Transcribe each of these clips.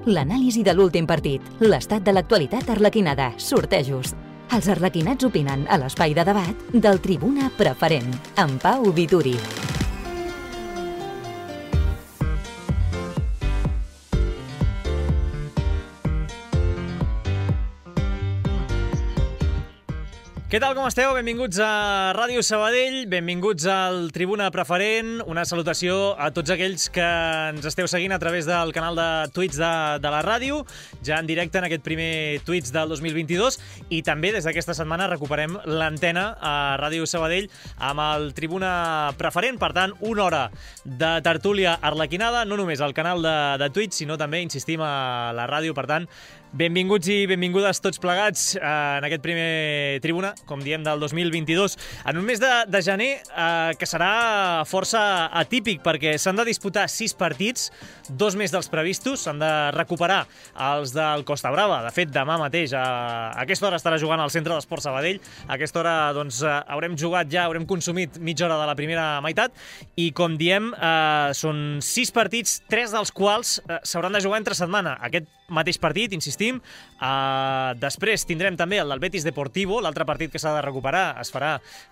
l'anàlisi de l'últim partit, l'estat de l'actualitat arlequinada, sortejos. Els arlequinats opinen a l'espai de debat del Tribuna Preferent, amb Pau Vituri. Què tal, com esteu? Benvinguts a Ràdio Sabadell, benvinguts al Tribuna Preferent. Una salutació a tots aquells que ens esteu seguint a través del canal de Twitch de la ràdio, ja en directe en aquest primer Twitch del 2022, i també des d'aquesta setmana recuperem l'antena a Ràdio Sabadell amb el Tribuna Preferent. Per tant, una hora de tertúlia arlequinada, no només al canal de Twitch, sinó també, insistim, a la ràdio. Per tant, benvinguts i benvingudes tots plegats en aquest primer Tribuna, com diem, del 2022, en un mes de gener que serà força atípic, perquè s'han de disputar 6 partits, 2 més dels previstos, s'han de recuperar els del Costa Brava. De fet, demà mateix, a aquesta hora estarà jugant al Centre d'Esports Sabadell. A aquesta hora doncs, haurem jugat ja, haurem consumit mitja hora de la primera meitat, i com diem, són 6 partits, 3 dels quals s'hauran de jugar entre setmana. Aquest mateix partit, insistim. Després tindrem també el del Betis Deportivo, l'altre partit que s'ha de recuperar es farà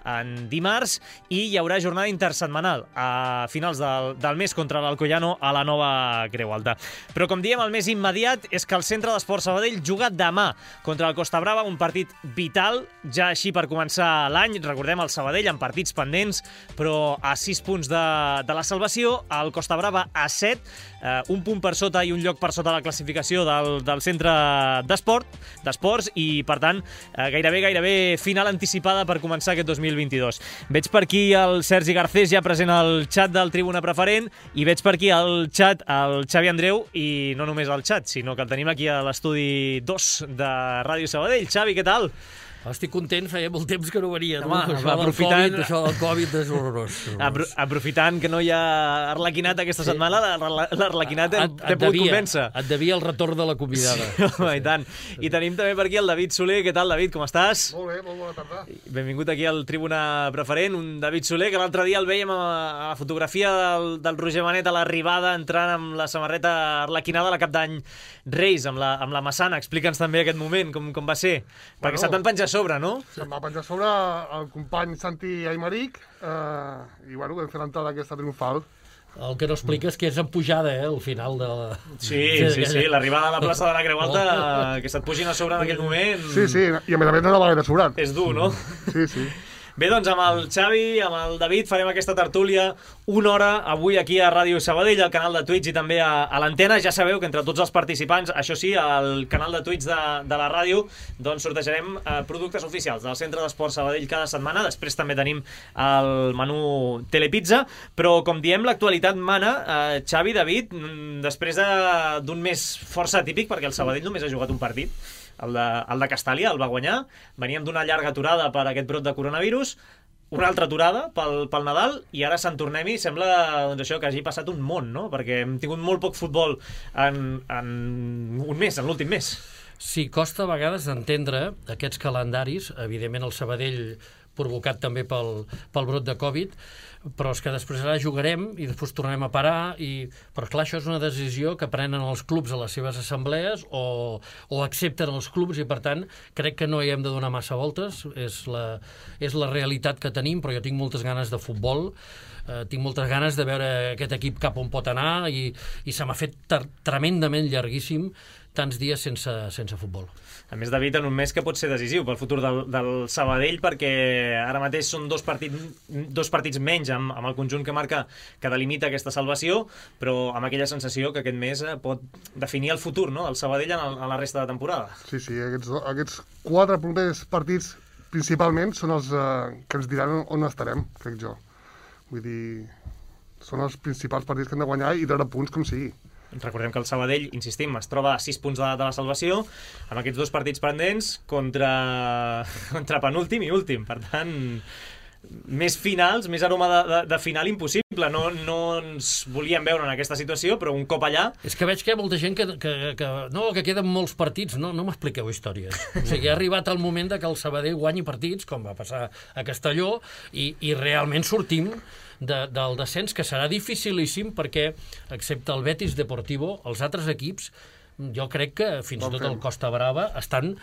en dimarts, i hi haurà jornada intersetmanal a finals del mes contra l'Alcoyano a la Nova Creu Alta. Però com diem, el més immediat és que el Centre d'Esports Sabadell juga demà contra el Costa Brava, un partit vital, ja així per començar l'any. Recordem el Sabadell amb partits pendents, però a 6 punts de la salvació, el Costa Brava a 7, un punt per sota i un lloc per sota la classificació del centre d'esports, i per tant gairebé final anticipada per començar aquest 2022. Veig per aquí el Sergi Garcés ja present al xat del Tribuna Preferent, i veig per aquí al xat el Xavi Andreu, i no només al xat, sinó que el tenim aquí a l'estudi 2 de Ràdio Sabadell. Xavi, què tal? Estic content, feia molt temps que no venia. Home, Això del Covid és horrorós. Aprofitant que no hi ha arlequinat aquesta setmana, l'arlequinat t'he pogut convèncer. Et devia el retorn de la convidada. Sí, home, i tant. I tenim també per aquí el David Soler. Què tal, David? Com estàs? Molt bé, molt bona tarda. Benvingut aquí al Tribuna Preferent. Un David Soler que l'altre dia el veiem a la fotografia del Roger Manet a l'arribada, entrant amb la samarreta arlequinada a la Cap d'Any Reis, amb la Massana. Explica'ns també aquest moment, com va ser. Perquè se't van penjar sobre, no? Se'm va penjar sobre el company Santi Aymeric, i bueno, vam fer l'entrada aquesta triomfal. El que no explica és que és en pujada, al final de la... Sí, l'arribada a la plaça de la Creu Alta, que se't pugin a sobre en aquell moment... Sí, i a més no anava gaire sobrat. És dur, no? Sí. Bé, doncs amb el Xavi, amb el David, farem aquesta tertúlia una hora avui aquí a Ràdio Sabadell, al canal de Twitch i també a l'antena. Ja sabeu que entre tots els participants, això sí, al canal de Twitch de la ràdio, doncs sortejarem productes oficials del Centre d'Esports Sabadell cada setmana. Després també tenim el menú Telepizza, però com diem, l'actualitat mana. Xavi, David, després d'un mes força atípic, perquè el Sabadell només ha jugat un partit, el de Castàlia, el va guanyar. Veníem d'una llarga aturada per aquest brot de coronavirus, una altra aturada pel Nadal, i ara Sant Tornem-hi. Sembla doncs, això, que hagi passat un món, no? Perquè hem tingut molt poc futbol en un mes, en l'últim mes. Sí, costa a vegades d'entendre aquests calendaris, evidentment el Sabadell provocat també pel brot de Covid, però és que després ara jugarem i després tornem a parar, però clar, això és una decisió que prenen els clubs a les seves assemblees o accepten els clubs, i per tant crec que no hi hem de donar massa voltes. És la realitat que tenim, però jo tinc moltes ganes de futbol, tinc moltes ganes de veure aquest equip cap on pot anar, i se m'ha fet tremendament llarguíssim tants dies sense futbol. A més, David, en un mes que pot ser decisiu pel futur del Sabadell, perquè ara mateix són dos partits menys amb el conjunt que delimita aquesta salvació, però amb aquella sensació que aquest mes pot definir el futur, no?, del Sabadell en la resta de temporada. Sí, aquests 4 primers partits principalment són els que ens diran on estarem, crec jo. Vull dir, són els principals partits que hem de guanyar i treure punts com sigui. Recordem que el Sabadell, insistim, es troba a 6 punts de la salvació, amb aquests 2 partits pendents contra penúltim i últim. Per tant, més finals, més aroma de final impossible. No ens volíem veure en aquesta situació, però un cop allà... És que veig que hi ha molta gent que queden molts partits. No m'expliqueu històries. O sigui, ha arribat el moment que el Sabadell guanyi partits, com va passar a Castelló, i realment sortim del descens, que serà dificilíssim, perquè, excepte el Betis Deportivo, els altres equips jo crec que fins i tot el Costa Brava estan...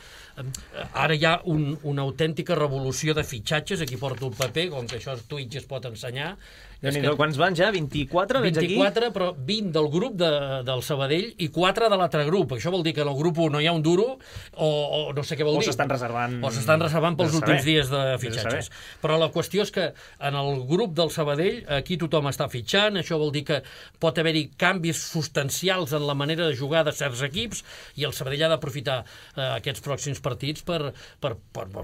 Ara hi ha una autèntica revolució de fitxatges, aquí porto el paper, com que això Twitch es pot ensenyar. Quants van ja? 24? 24, però 20 del grup del Sabadell i 4 de l'altre grup. Això vol dir que en el grup 1 no hi ha un duro, o no sé què vol dir. O s'estan reservant... O s'estan reservant pels últims dies de fitxatges. Però la qüestió és que en el grup del Sabadell aquí tothom està fitxant, això vol dir que pot haver-hi canvis substancials en la manera de jugar de certs equips, i el Sabadell ha d'aprofitar aquests pròxims partits per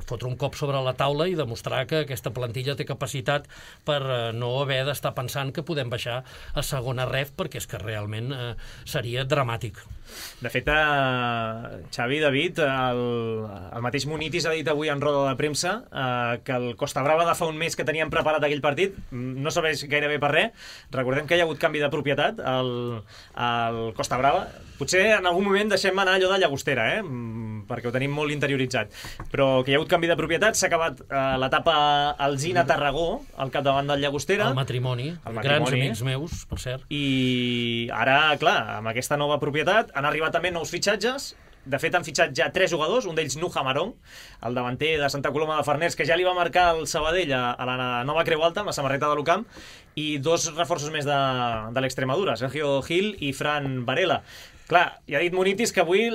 fotre un cop sobre la taula i demostrar que aquesta plantilla té capacitat per no haver d'estar pensant que podem baixar a segona ref, perquè és que realment seria dramàtic. De fet, Xavi, David, el mateix Munitis ha dit avui en roda de premsa que el Costa Brava de fa un mes que teníem preparat aquell partit no serveix gairebé per res. Recordem que hi ha hagut canvi de propietat al Costa Brava. Potser en algun moment deixem anar allò de Llagostera, perquè ho tenim molt interioritzat. Però que hi ha hagut canvi de propietat, s'ha acabat l'etapa Alzina Tarragó, al capdavant del Llagostera. El matrimoni, grans amics meus, per cert. I ara, clar, amb aquesta nova propietat han arribat també nous fitxatges. De fet, han fitxat ja 3 jugadors, un d'ells Nuja Marón, el davanter de Santa Coloma de Farners, que ja li va marcar el Sabadell a la nova Creu Alta, amb la samarreta de l'Ucamp, i 2 reforços més de l'Extremadura, Sergio Gil i Fran Varela. Clar, ja ha dit Munitis que avui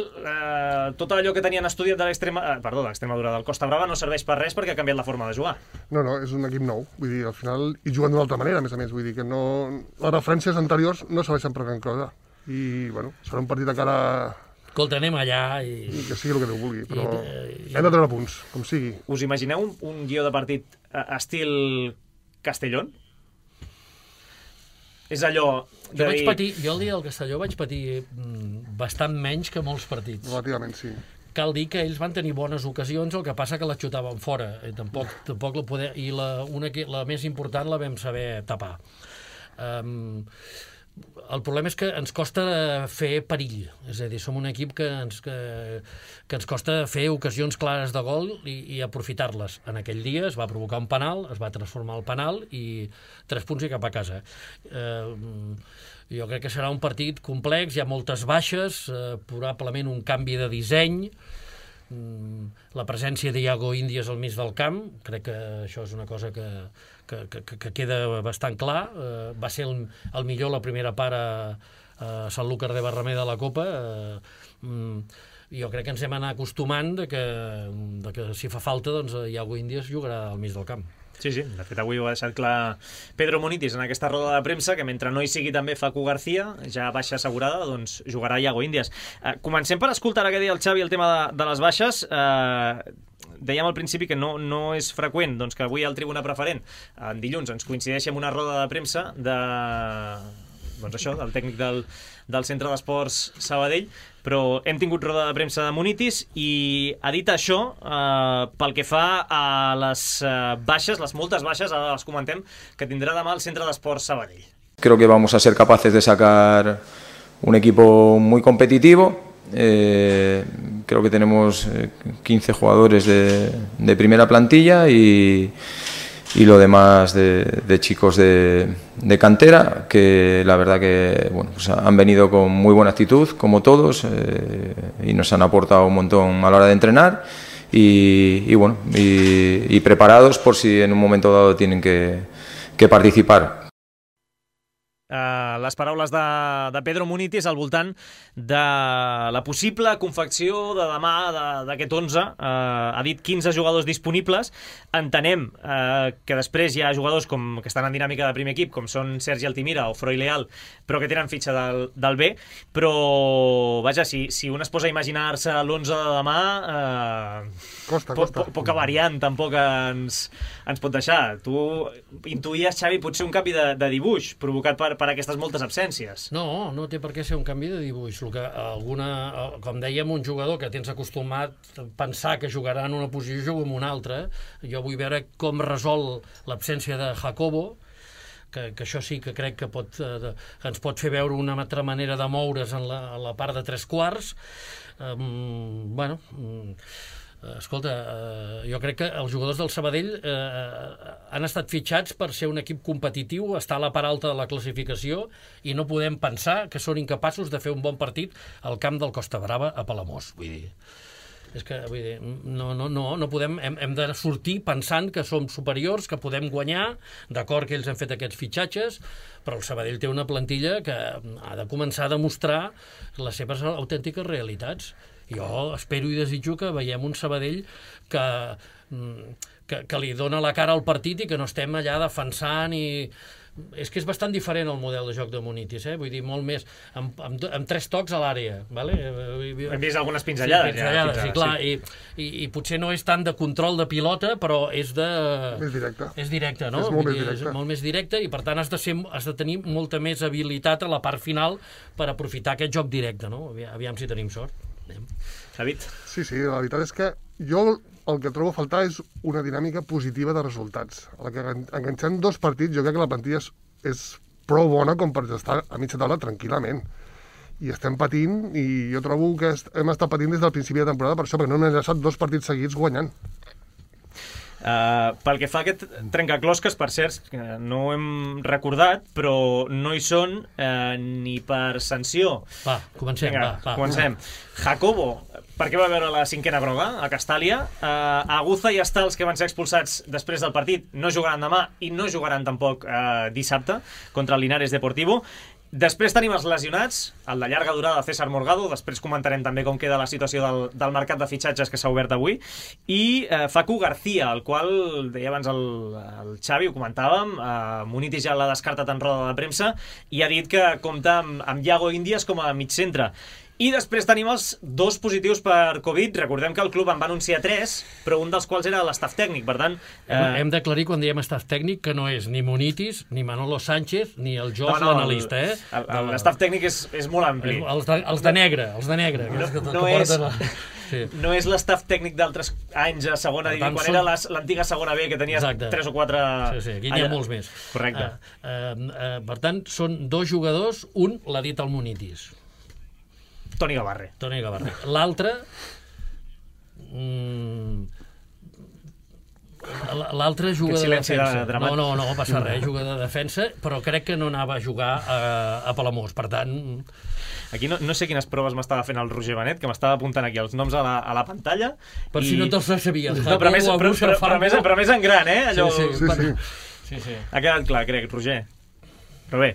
tot allò que tenien estudiat de l'Extremadura, del Costa Brava, no serveix per res perquè ha canviat la forma de jugar. No, és un equip nou, vull dir, al final, i juguen d'una altra manera, a més, vull dir que no... Les referències anteriors no serveixen per gran cosa, i, bueno, serà un partit encara... Escolta, anem allà i... Que sigui el que Déu vulgui, però hem de treure punts, com sigui. Us imagineu un guió de partit estil Castellón? És allò... Jo el dia del Castelló vaig patir bastant menys que molts partits. Relativament, sí. Cal dir que ells van tenir bones ocasions, el que passa que la xutaven fora. Tampoc la poder... I la més important la vam saber tapar. El problema és que ens costa fer perill, és a dir, som un equip que ens costa fer ocasions clares de gol i aprofitar-les. En aquell dia es va provocar un penal, es va transformar el penal i 3 punts i cap a casa. Jo crec que serà un partit complex, hi ha moltes baixes, probablement un canvi de disseny, la presència d'Iago Índies al mig del camp, crec que això és una cosa que queda bastant clar. Va ser el millor la primera part a Sanlúcar de Barrameda de la Copa. Jo crec que ens hem anar acostumant de que si fa falta, doncs Iago Índies jugarà al mig del camp. Sí, de fet avui ho ha deixat clar Pedro Munitis en aquesta roda de premsa, que mentre no hi sigui també Facu García, ja baixa assegurada, doncs jugarà Iago Índies. Comencem per escoltar ara que deia el Xavi el tema de les baixes. Dèiem al principi que no és freqüent doncs, que avui el Tribuna Preferent en dilluns ens coincideixi amb una roda de premsa del tècnic del Centre d'Esports Sabadell, però hem tingut roda de premsa de Munitis i ha dit això pel que fa a les baixes, les moltes baixes, ara les comentem, que tindrà demà el Centre d'Esports Sabadell. Creo que vamos a ser capaces de sacar un equipo muy competitivo. Creo que tenemos 15 jugadores de primera plantilla y lo demás de chicos de cantera, que la verdad que pues han venido con muy buena actitud, como todos, y nos han aportado un montón a la hora de entrenar y preparados por si en un momento dado tienen que participar. Les paraules de Pedro Munitis al voltant de la possible confecció de demà d'aquest 11. Ha dit 15 jugadors disponibles. Entenem que després hi ha jugadors que estan en dinàmica de primer equip, com són Sergi Altimira o Froi Leal, però que tenen fitxa del B. Però, vaja, si un es posa a imaginar-se l'11 de demà, costa. Poca variant tampoc ens pot deixar. Tu intuïes, Xavi, potser un canvi de dibuix provocat per aquestes moltes absències. No té per què ser un canvi de dibuix. Com dèiem, un jugador que tens acostumat a pensar que jugarà en una posició, juga en una altra. Jo vull veure com resol l'absència de Jacobo, que això sí que crec que ens pot fer veure una altra manera de moure's en la part de 3/4. Escolta, jo crec que els jugadors del Sabadell han estat fitxats per ser un equip competitiu, estar a la part alta de la classificació, i no podem pensar que són incapaços de fer un bon partit al camp del Costa Brava a Palamós. Vull dir, és que no podem, hem de sortir pensant que som superiors, que podem guanyar, d'acord que ells han fet aquests fitxatges, però el Sabadell té una plantilla que ha de començar a demostrar les seves autèntiques realitats. Jo espero i desitjo que veiem un Sabadell que li dona la cara al partit i que no estem allà defensant i... És que és bastant diferent el model de joc de Munitis, vull dir, molt més amb 3 tocs a l'àrea, vale? Hem vist algunes pinzellades. Sí, clar, i potser no és tant de control de pilota, però és de... És directe. És directe, no? És molt més directe. És molt més directe i, per tant, has de tenir molta més habilitat a la part final per aprofitar aquest joc directe, no? Aviam si tenim sort. David? Sí, la veritat és que jo el que trobo a faltar és una dinàmica positiva de resultats. A la que enganxant 2 partits, jo crec que la plantilla és prou bona com per estar a mitja taula tranquil·lament. I estem patint, i jo trobo que hem estat patint des del principi de temporada per això, perquè no hem enllaçat 2 partits seguits guanyant. Pel que fa a aquest trencaclosques, per cert, no ho hem recordat, però no hi són ni per sanció. Va, comencem. Vinga, comencem. Jacobo, per què va veure la 5ena groga a Castàlia? Aguza i Estals, que van ser expulsats després del partit, no jugaran demà i no jugaran tampoc dissabte contra el Linares Deportivo. Després tenim els lesionats, el de llarga durada César Morgado, després comentarem també com queda la situació del mercat de fitxatges que s'ha obert avui, i Facu García, el qual, deia abans el Xavi, ho comentàvem, Munitis ja l'ha descartat en roda de premsa i ha dit que compta amb Iago Índies com a mig centre. I després tenim els 2 positius per Covid. Recordem que el club en va anunciar 3, però un dels quals era l'estaf tècnic, per tant... Hem d'aclarir quan diem estaf tècnic que no és ni Munitis, ni Manolo Sánchez, ni el Jos, l'analista. L'estaf tècnic és molt ampli. Els de negre. No és l'estaf tècnic d'altres anys a segona divisió, quan era l'antiga segona B, que tenies 3 o 4... Sí, aquí n'hi ha molts més. Correcte. Per tant, són 2 jugadors, un l'ha dit el Munitis. Toni Gavarre. L'altre... L'altre juga de defensa. No passa res, juga de defensa, però crec que no anava a jugar a Palamós, per tant... Aquí no sé quines proves m'estava fent el Roger Benet, que m'estava apuntant aquí els noms a la pantalla. Per si no te'ls sabies. No, però més en gran, allò... Sí. Ha quedat clar, crec, Roger. Però bé,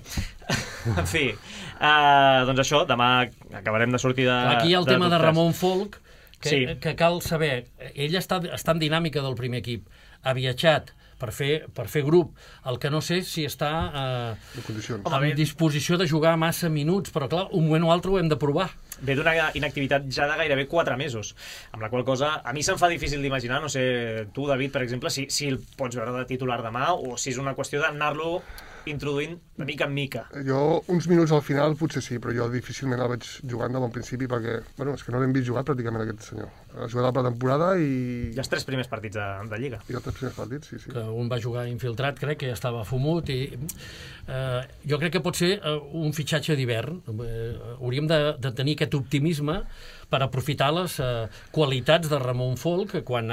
en fi... doncs això, demà acabarem de sortir de... Aquí hi ha el tema de Ramon Folk, que cal saber. Ell està en dinàmica del primer equip. Ha viatjat per fer grup. El que no sé si està en disposició de jugar massa minuts, però clar, un moment o altre ho hem de provar. Ve d'una inactivitat ja de gairebé 4 mesos, amb la qual cosa a mi se'm fa difícil d'imaginar, no sé, tu, David, per exemple, si el pots veure de titular demà o si és una qüestió d'anar-lo introduint de mica en mica. Jo, uns minuts al final potser sí, però jo difícilment el veig jugant de bon principi perquè, és que no l'hem vist jugar pràcticament aquest senyor. Ha jugat a la pretemporada i... I els 3 primers partits de Lliga. I els 3 primers partits, sí. Que un va jugar infiltrat, crec que ja estava fumut i... jo crec que pot ser un fitxatge d'hivern. Hauríem de tenir aquest optimisme per aprofitar les qualitats de Ramon Folk, que quan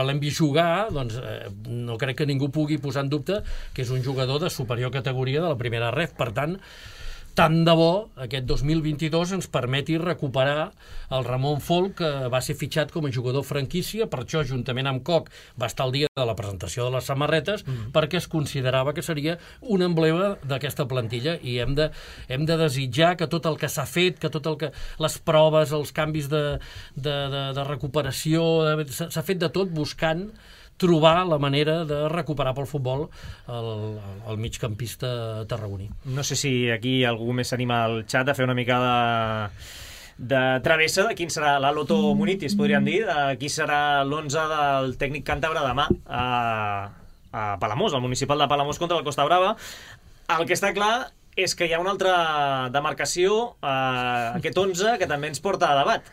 l'hem vist jugar, doncs no crec que ningú pugui posar en dubte que és un jugador de superior categoria de la primera ref. Per tant de bo aquest 2022 ens permeti recuperar el Ramon Folk, que va ser fitxat com a jugador franquícia, per això, juntament amb Koch, va estar el dia de la presentació de les samarretes, perquè es considerava que seria un emblema d'aquesta plantilla, i hem de desitjar que tot el que s'ha fet, que tot el que... les proves, els canvis de recuperació, s'ha fet de tot buscant trobar la manera de recuperar pel futbol el migcampista tarragoní. No sé si aquí algú més s'anima al xat a fer una mica de travessa de quin serà la Loto Munitis, podríem dir, de qui serà l'11 del tècnic càntabre demà a Palamós, al municipal de Palamós contra el Costa Brava. El que està clar és que hi ha una altra demarcació, aquest 11, que també ens porta a debat.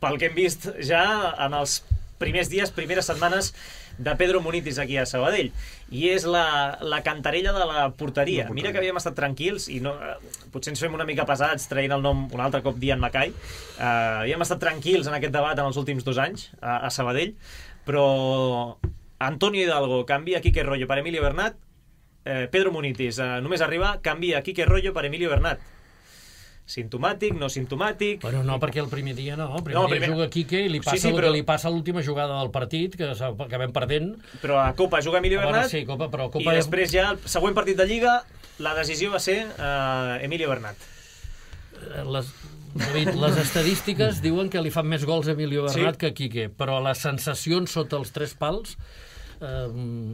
Pel que hem vist ja en els primers dies, primeres setmanes de Pedro Munitis aquí a Sabadell. I és la cantarella de la porteria. Mira que havíem estat tranquils i no, potser ens fem una mica pesats traient el nom un altre cop Dian Mackay. Havíem estat tranquils en aquest debat en els últims 2 anys a Sabadell, però Antonio Hidalgo canvia Quique Royo per Emilio Bernat, Pedro Munitis només arriba, canvia Quique Royo per Emilio Bernat. Sintomàtic, no sintomàtic... Bueno, no, perquè el primer dia no. El primer dia juga Quique i li passa el que li passa a l'última jugada del partit, que acabem perdent. Però a Copa juga Emilio Bernat, sí, Copa, però Copa i després ja el següent partit de Lliga la decisió va ser Emilio Bernat. Les estadístiques diuen que li fan més gols a Emilio Bernat que a Quique, però les sensacions sota els 3 pals...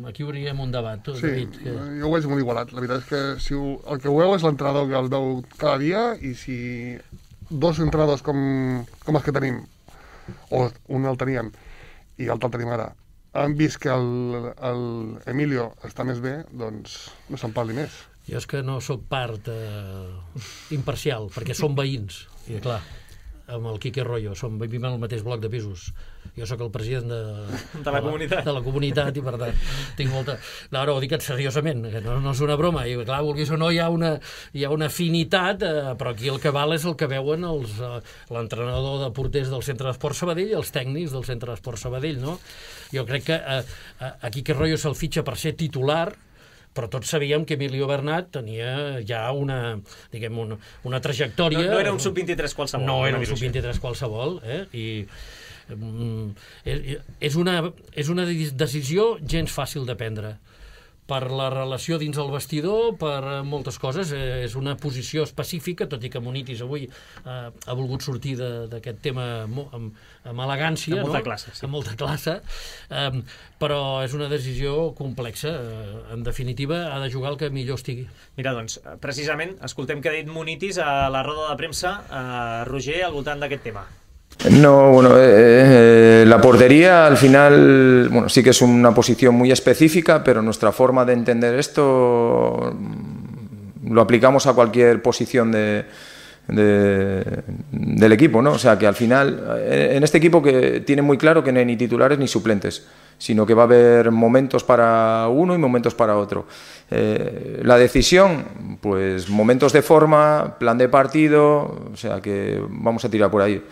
aquí obrirem un debat. Sí, David, jo ho veig molt igualat. La veritat és que si el que ho veu és l'entrenador que el veu cada dia, i si 2 entrenadors com els que tenim, o un el teníem i l'altre el tenim ara, han vist que l'Emilio està més bé, doncs no se'n parli més. Jo és que no sóc part imparcial, perquè som veïns, i clar, amb el Quique Royo, vivim en el mateix bloc de pisos. Jo sóc el president de la comunitat i per tant tinc molta... No, ho dic seriosament, que no és una broma, i clar, vulguis o no hi ha una afinitat, però aquí el que val és el que veuen l'entrenador de porters del Centre d'Esport Sabadell i els tècnics del Centre d'Esport Sabadell, no? Jo crec que aquí Quique Royo se'l fitxa per ser titular, però tots sabíem que Emilio Bernat tenia ja una trajectòria... No era un sub-23 qualsevol. No era un sub-23 qualsevol, i és una decisió gens fàcil de prendre, per la relació dins el vestidor, per moltes coses. És una posició específica, tot i que Munitis avui ha volgut sortir d'aquest tema amb elegància, amb molta classe, sí. Amb molta classe, però és una decisió complexa. En definitiva, ha de jugar el que millor estigui. Mira, doncs, precisament, escoltem què ha dit Munitis a la roda de premsa, Roger, al voltant d'aquest tema. No, bueno, la portería al final, bueno, sí que es una posición muy específica, pero nuestra forma de entender esto lo aplicamos a cualquier posición del equipo, ¿no? O sea, que al final, en este equipo que tiene muy claro que no hay ni titulares ni suplentes, sino que va a haber momentos para uno y momentos para otro. La decisión, pues momentos de forma, plan de partido, o sea que vamos a tirar por ahí.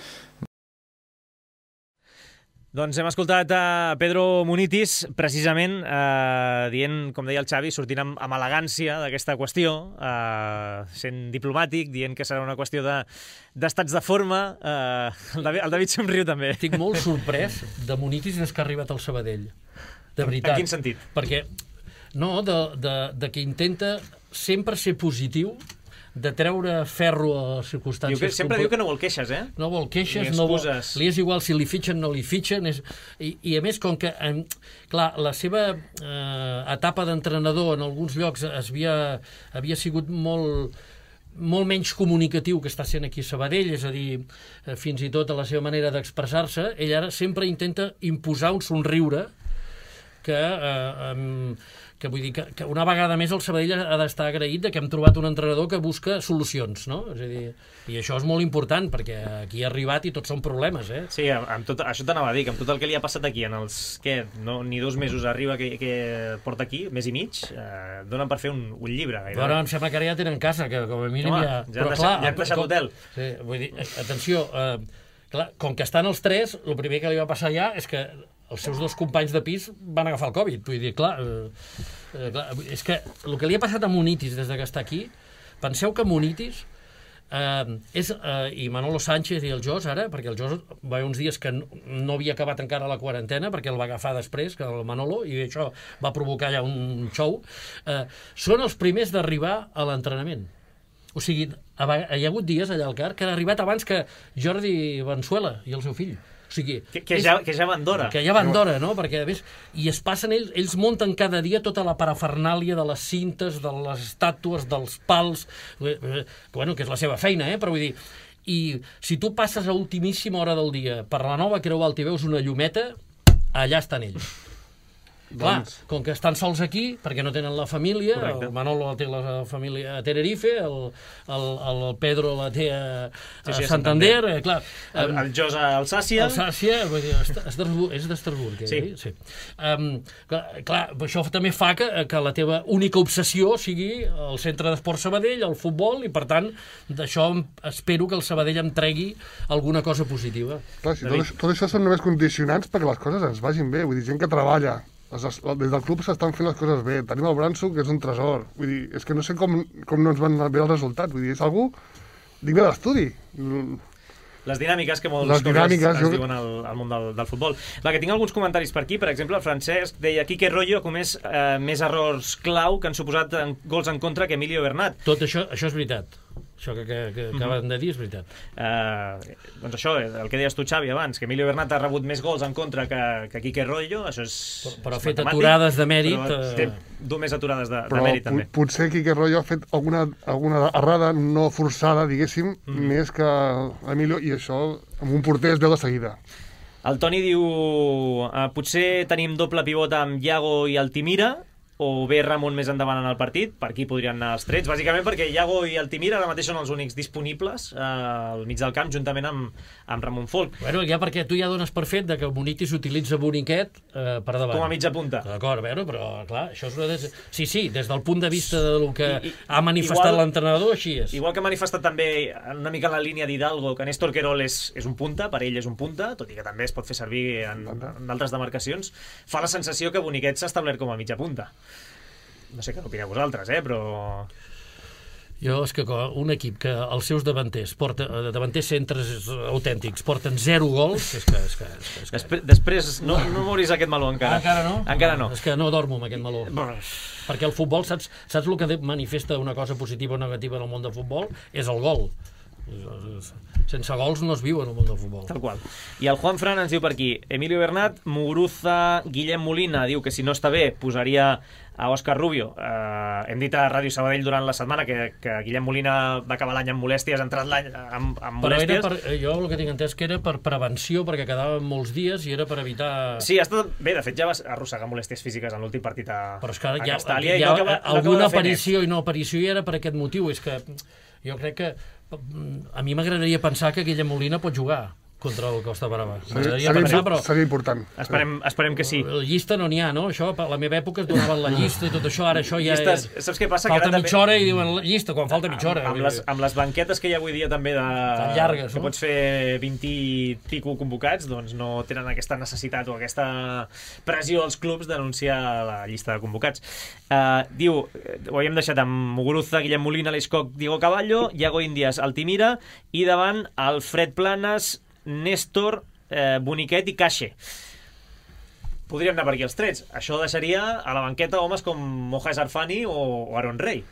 Doncs hem escoltat a Pedro Munitis, precisament dient, com deia el Xavi, sortint amb elegància d'aquesta qüestió, sent diplomàtic, dient que serà una qüestió d'estats de forma. El David somriu també. Estic molt sorprès de Munitis des que ha arribat al Sabadell. De veritat. En quin sentit? Perquè, no, de que intenta sempre ser positiu, de treure ferro a les circumstàncies... Sempre diu que no vol queixes, eh? No vol queixes, no vol... Li és igual si li fitxen o no li fitxen. I a més, com que, clar, la seva etapa d'entrenador en alguns llocs havia sigut molt menys comunicatiu que està sent aquí a Sabadell, és a dir, fins i tot a la seva manera d'expressar-se, ell ara sempre intenta imposar un somriure que vull dir que una vegada més el Sabadell ha d'estar agraït que hem trobat un entrenador que busca solucions, no? És a dir, i això és molt important, perquè aquí ha arribat i tots són problemes, eh? Sí, això t'anava a dir, que amb tot el que li ha passat aquí en els, ni 2 mesos arriba que porta aquí, mes i mig, donen per fer un llibre. Però em sembla que ara ja tenen casa, que com a mínim ja han deixat l'hotel. Sí, vull dir, atenció, clar, com que estan els 3, el primer que li va passar ja és que els seus 2 companys de pis van agafar el Covid. Vull dir, clar, és que el que li ha passat a Munitis des que està aquí, penseu que Munitis i Manolo Sánchez i el Jos ara, perquè el Jos va haver uns dies que no havia acabat encara la quarantena, perquè el va agafar després, que el Manolo, i això va provocar allà un show, són els primers d'arribar a l'entrenament. O sigui, hi ha hagut dies allà al CAR que han arribat abans que Jordi Vanzuela i el seu fill. O sigui, que ja van d'hora. Que ja van d'hora, no? Perquè, a més, i es passen ells munten cada dia tota la parafernàlia de les cintes, de les estàtues, dels pals, que és la seva feina, però vull dir, i si tu passes a ultimíssima hora del dia per la nova Creu Alta i veus una llumeta, allà estan ells. Clar, com que estan sols aquí, perquè no tenen la família, correcte. El Manolo la té la família a Tenerife, el Pedro la té a Santander, clar. El Jos a Alsàcia. Alsàcia, vull dir, és d'Estrasburg, sí. Clar, això també fa que la teva única obsessió sigui el centre d'esport Sabadell, el futbol, i per tant, d'això espero que el Sabadell em tregui alguna cosa positiva. Clar, si tot això són només condicionants perquè les coses ens vagin bé, vull dir, gent que treballa, des del club s'estan fent les coses bé, tenim el Branso, que és un tresor, vull dir, és que no sé com no ens van bé els resultats, vull dir, és algú digne d'estudi. Les dinàmiques que molts cops es diuen al món del futbol. Va, que tinc alguns comentaris per aquí. Per exemple, el Francesc deia Quique Royo ha comès més errors clau que han suposat gols en contra que Emilio Bernat. Tot això és veritat. Això que acaben de dir és veritat. Doncs això, el que deies tu, Xavi, abans, que Emilio Bernat ha rebut més gols en contra que Quique Royo, això és... Però ha fet aturades de mèrit... Té més aturades de mèrit, també. Però potser Quique Royo ha fet alguna errada no forçada, diguéssim, més que Emilio, i això amb un porter es veu de seguida. El Toni diu potser tenim doble pivot amb Iago i Altimira, o bé Ramon més endavant en el partit, per aquí podrien anar els trets, bàsicament perquè Iago i Altimira ara mateix són els únics disponibles al mig del camp, juntament amb Ramon Folk. Bueno, ja perquè tu ja dones per fet que Boniti s'utilitza Boniquet per davant. Com a mitja punta. D'acord, però clar, això és una... Sí, des del punt de vista del que ha manifestat l'entrenador, així és. Igual que ha manifestat també una mica en la línia d'Hidalgo, que Néstor Querol és un punta, per ell és un punta, tot i que també es pot fer servir en altres demarcacions, fa la sensació que Boniquet s'ha establert com a mitja punta. No sé què n'opineu vosaltres, però... Jo, és que un equip que els seus davanters centres autèntics porten 0 gols, és que... Després no mouris aquest meló encara. Encara no? Encara no. És que no dormo amb aquest meló. Perquè el futbol, saps el que manifesta una cosa positiva o negativa en el món del futbol? És el gol. Sense gols no es viu en el món del futbol. Tal qual. I el Juan Fran ens diu per aquí, Emilio Bernat, Muguruza, Guillem Molina, diu que si no està bé posaria a Òscar Rubio. Hem dit a Ràdio Sabadell durant la setmana que Guillem Molina va acabar l'any amb molèsties, ha entrat l'any amb molèsties. Però jo el que tinc entès que era per prevenció, perquè quedaven molts dies i era per evitar... Sí, ha estat... Bé, de fet ja va arrossegar molèsties físiques en l'últim partit a Castàlia. Però és que alguna aparició i no aparició i era per aquest motiu. És que jo crec que a mi m'agradaria pensar que Guillem Molina pot jugar contra el Costa Brava. Seria important. Esperem que sí. La llista no n'hi ha, no? Això, a la meva època es donaven la llista i tot això, ara això ja... Saps què passa? Falta mitja hora i diuen llista, quan falta mitja hora. Amb les banquetes que hi ha avui dia també tan llargues, que pots fer 20 i pico convocats, doncs no tenen aquesta necessitat o aquesta pressió als clubs d'anunciar la llista de convocats. Diu, ho havíem deixat amb Muguruza, Guillem Molina, Leiscoc, Diego Caballo, Iago Índias, Altimira, i davant Alfred Planas, Néstor, Boniquet i Caxe. Podríem anar per aquí els trets. Això deixaria a la banqueta homes com Moja Sarfani o Aaron Rey,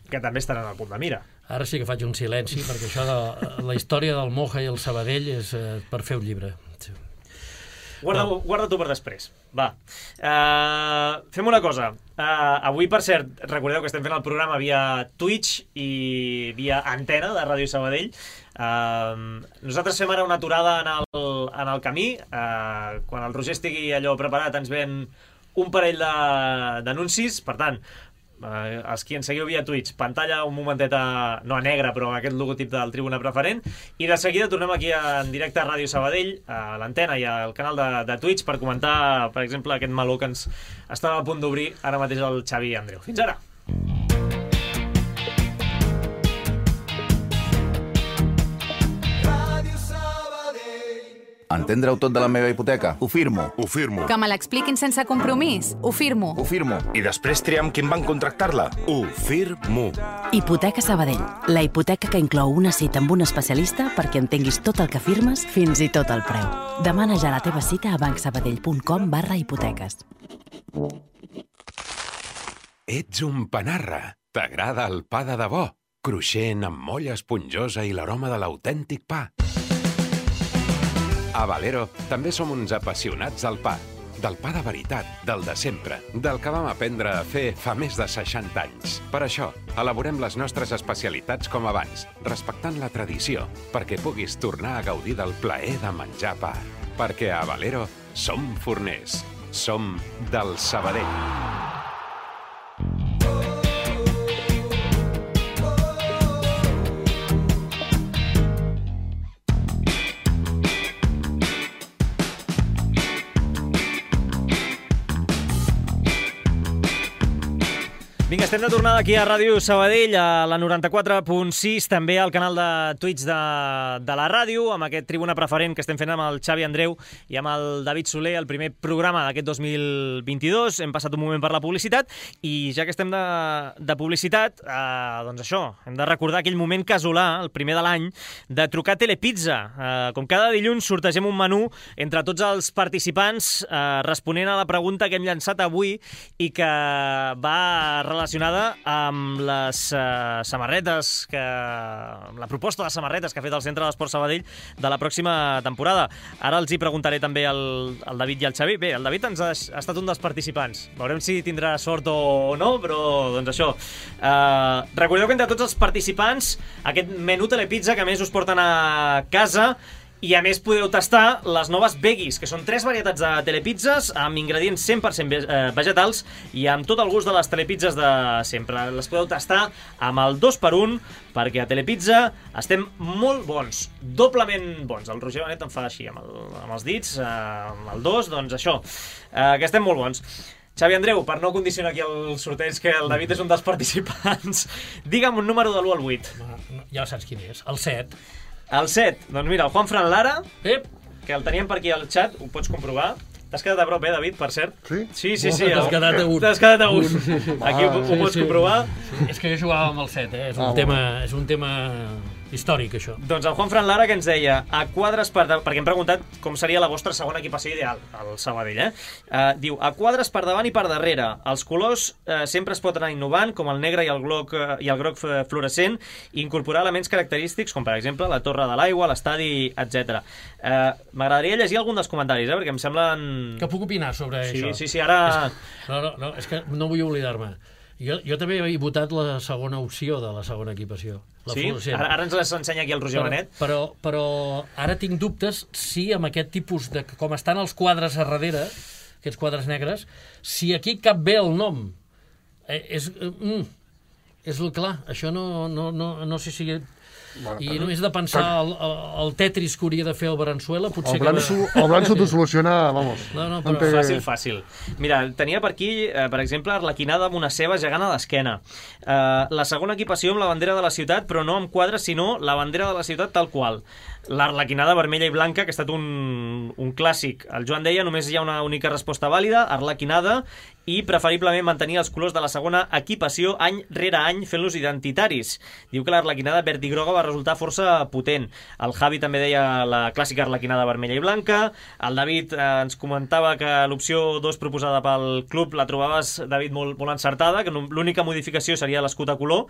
que també estaran al punt de mira. Ara sí que faig un silenci, perquè això de la història del Moja i el Sabadell és per fer un llibre. Guarda tu per després. Va. Fem una cosa. Avui, per cert, recordeu que estem fent el programa via Twitch i via antena de Ràdio Sabadell. Nosaltres fem ara una aturada en el camí. Quan el Roger estigui allò preparat ens ven un parell d'anuncis. Per tant, els qui ens seguiu via Twitch, pantalla un momentet no a negre, però amb aquest logotip del Tribuna Preferent, i de seguida tornem aquí en directe a Ràdio Sabadell, a l'antena i al canal de Twitch, per comentar, per exemple, aquest meló que ens estava a punt d'obrir ara mateix el Xavi i Andreu. Fins ara! Entendre-ho tot de la meva hipoteca? Ho firmo. Ho firmo. Que me l'expliquin sense compromís? Ho firmo. Ho firmo. I després triam quin banc contractar-la? Ho firmo. Hipoteca Sabadell. La hipoteca que inclou una cita amb un especialista perquè entenguis tot el que firmes, fins i tot el preu. Demana ja la teva cita a bancsabadell.com/hipoteques. Ets un panarra. T'agrada el pa de debò? Cruixent, amb molla esponjosa i l'aroma de l'autèntic pa. A Valero també som uns apassionats del pa. Del pa de veritat, del de sempre, del que vam aprendre a fer fa més de 60 anys. Per això, elaborem les nostres especialitats com abans, respectant la tradició, perquè puguis tornar a gaudir del plaer de menjar pa. Perquè a Valero som forners. Som del Sabadell. Vinga, estem de tornada aquí a Ràdio Sabadell, a la 94.6, també al canal de Twitch de la ràdio, amb aquest Tribuna Preferent que estem fent amb el Xavi Andreu i amb el David Soler, el primer programa d'aquest 2022. Hem passat un moment per la publicitat i ja que estem de publicitat, doncs això, hem de recordar aquell moment casolà, el primer de l'any, de trucar a Telepizza. Com cada dilluns sortegem un menú entre tots els participants responent a la pregunta que hem llançat avui i que va relacionada amb les samarretes, amb la proposta de samarretes que ha fet el Centre d'Esport Sabadell de la pròxima temporada. Ara els hi preguntaré també al David i al Xavi. Bé, el David ha estat un dels participants. Veurem si tindrà sort o no, però doncs això. Recordeu que entre tots els participants aquest menú Telepizza que a més us porten a casa i a més podeu tastar les noves veggies, que són 3 varietats de telepizzas amb ingredients 100% vegetals i amb tot el gust de les telepizzas de sempre. Les podeu tastar amb el 2x1 perquè a Telepizza estem molt bons, doblement bons. El Roger Benet em fa així amb els dits, amb el 2, doncs això, que estem molt bons. Xavi Andreu, per no condicionar aquí el sorteig, que el David és un dels participants, digue'm un número de l'1 al 8. Ja saps quin és, el 7. El 7, doncs mira, el Juanfran Lara, que el teníem per aquí al xat, ho pots comprovar. T'has quedat a prop, David, per cert? Sí? Sí. T'has quedat a un. T'has quedat a un. Aquí ho pots comprovar. És que jo jugava amb el 7, és un tema històric, això. Doncs el Juanfran Lara que ens deia a quadres perquè hem preguntat com seria la vostra segona equipació ideal al Sabadell, diu, a quadres per davant i per darrere. Els colors sempre es pot anar innovant, com el negre i el groc fluorescent, i incorporar elements característics, com per exemple la torre de l'aigua, l'estadi, etc. M'agradaria llegir algun dels comentaris, perquè em semblen... Que puc opinar sobre això? Sí, ara... No, és que no vull oblidar-me. Jo també he votat la segona opció de la segona equipació. Sí? Ara ens les ensenya aquí el Roger Benet. Però ara tinc dubtes si amb aquest tipus de... Com estan els quadres a darrere, aquests quadres negres, si aquí cap bé el nom. És clar, això no sé si... I només de pensar el Tetris que hauria de fer el Venezuela, potser el Blanso t'ho soluciona, vamos. No, però fàcil. Mira, tenia per aquí, per exemple, arlequinada amb una ceba gegant a l'esquena. La segona equipació amb la bandera de la ciutat, però no amb quadres, sinó la bandera de la ciutat tal qual. L'arlequinada vermella i blanca, que ha estat un clàssic. El Joan deia, només hi ha una única resposta vàlida, arlequinada, i preferiblement mantenir els colors de la segona equipació any rere any fent-los identitaris. Diu que l'arlequinada verd i groga va resultar força potent. El Javi també deia la clàssica arlequinada vermella i blanca. El David ens comentava que l'opció 2 proposada pel club la trobaves, David, molt encertada, que l'única modificació seria l'escut a color.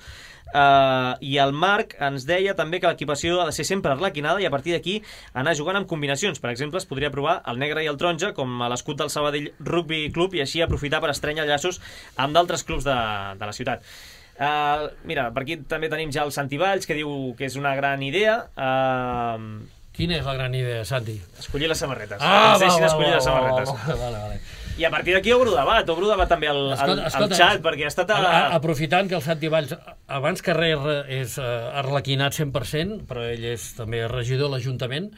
I el Marc ens deia també que l'equipació ha de ser sempre arlequinada i a partir d'aquí anar jugant amb combinacions. Per exemple, es podria provar el negre i el taronja com a l'escut del Sabadell Rugby Club i així aprofitar per estrènyer llaços amb d'altres clubs de la ciutat. Mira, per aquí també tenim ja el Santi Valls, que diu que és una gran idea. Quina és la gran idea, Santi? Escollir les samarretes. Ens deixin escollir les samarretes. Vale. I a partir d'aquí obro debat també al xat, perquè ha estat... Aprofitant que el Santi Valls, abans que res, és arlequinat 100%, però ell és també regidor de l'Ajuntament,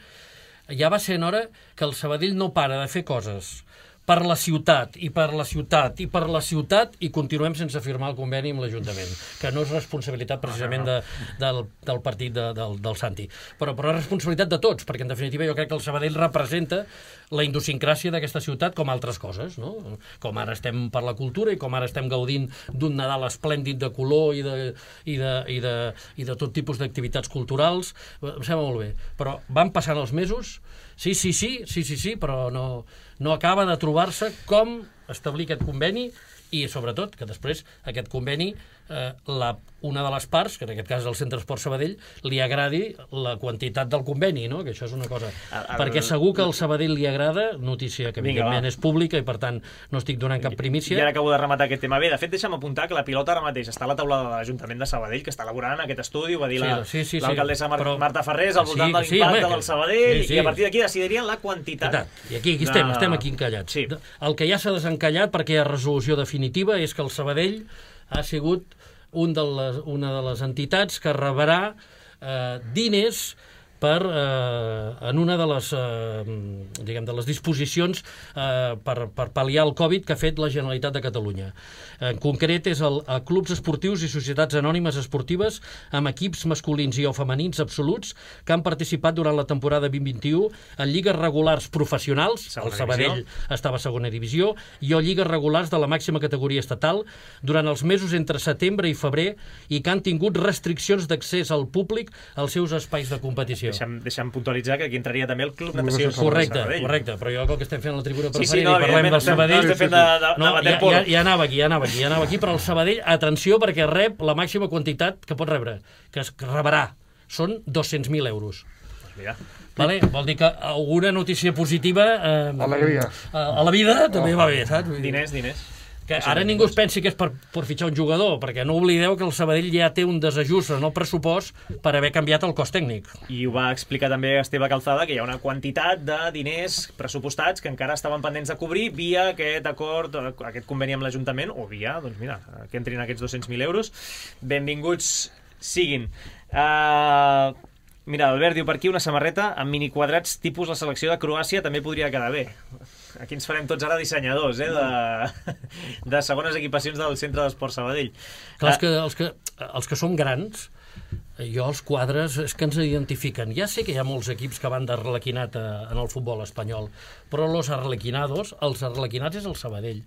ja va ser en hora que el Sabadell no para de fer coses per la ciutat, i per la ciutat, i per la ciutat, i continuem sense firmar el conveni amb l'Ajuntament, que no és responsabilitat precisament del partit del Santi, però és responsabilitat de tots, perquè en definitiva jo crec que el Sabadell representa la idiosincràsia d'aquesta ciutat com altres coses, no? Com ara estem per la cultura i com ara estem gaudint d'un Nadal esplèndid de color i de tot tipus d'activitats culturals. Em sembla molt bé, però van passant els mesos, sí, però no acaba de trobar-se com establir aquest conveni i, sobretot, que després aquest conveni una de les parts, que en aquest cas és el Centre Esport Sabadell, li agradi la quantitat del conveni, no? Que això és una cosa... Perquè segur que al Sabadell li agrada, notícia que evidentment és pública i per tant no estic donant cap primícia. I ara acabo de rematar aquest tema. Bé, de fet, deixa'm apuntar que la pilota ara mateix està a la taula de l'Ajuntament de Sabadell, que està elaborant aquest estudi, ho va dir l'alcaldessa Marta Ferrés, al voltant de l'impacte del Sabadell, i a partir d'aquí decidirien la quantitat. I aquí estem aquí encallats. El que ja s'ha desencallat, perquè hi ha resolució definitiva, és que el Sabadell ha sigut una de les entitats que rebrà diners en una de les disposicions per pal·liar el Covid que ha fet la Generalitat de Catalunya. En concret és a clubs esportius i societats anònimes esportives amb equips masculins i o femenins absoluts que han participat durant la temporada 2021 en lligues regulars professionals, el Sabadell estava a segona divisió, i o lligues regulars de la màxima categoria estatal durant els mesos entre setembre i febrer i que han tingut restriccions d'accés al públic als seus espais de competició. Deixa'm puntualitzar que aquí entraria també el Club Natació. Correcte, però jo el que estem fent a la tribuna preferent i parlem del Sabadell... Ja anava aquí, però el Sabadell, atenció, perquè rep la màxima quantitat que pot rebre, que es rebrà. Són 200.000 euros. Vale? Vol dir que alguna notícia positiva a la vida també va bé, saps? Diners. Que ara ningú es pensi que és per fitxar un jugador, perquè no oblideu que el Sabadell ja té un desajust en el pressupost per haver canviat el cos tècnic. I ho va explicar també Esteve Calzada, que hi ha una quantitat de diners pressupostats que encara estaven pendents de cobrir via aquest acord, aquest conveni amb l'Ajuntament, o via, doncs mira, que entrin aquests 200.000 euros. Benvinguts siguin. Mira, Albert diu per aquí una samarreta amb miniquadrats tipus la selecció de Croàcia també podria quedar bé. Aquí ens farem tots ara dissenyadors, de segones equipacions del Centre d'Esport Sabadell. Clar, els que som grans, jo els quadres és que ens identifiquen. Ja sé que hi ha molts equips que van d'arlequinat en el futbol espanyol, però els arlequinats és el Sabadell.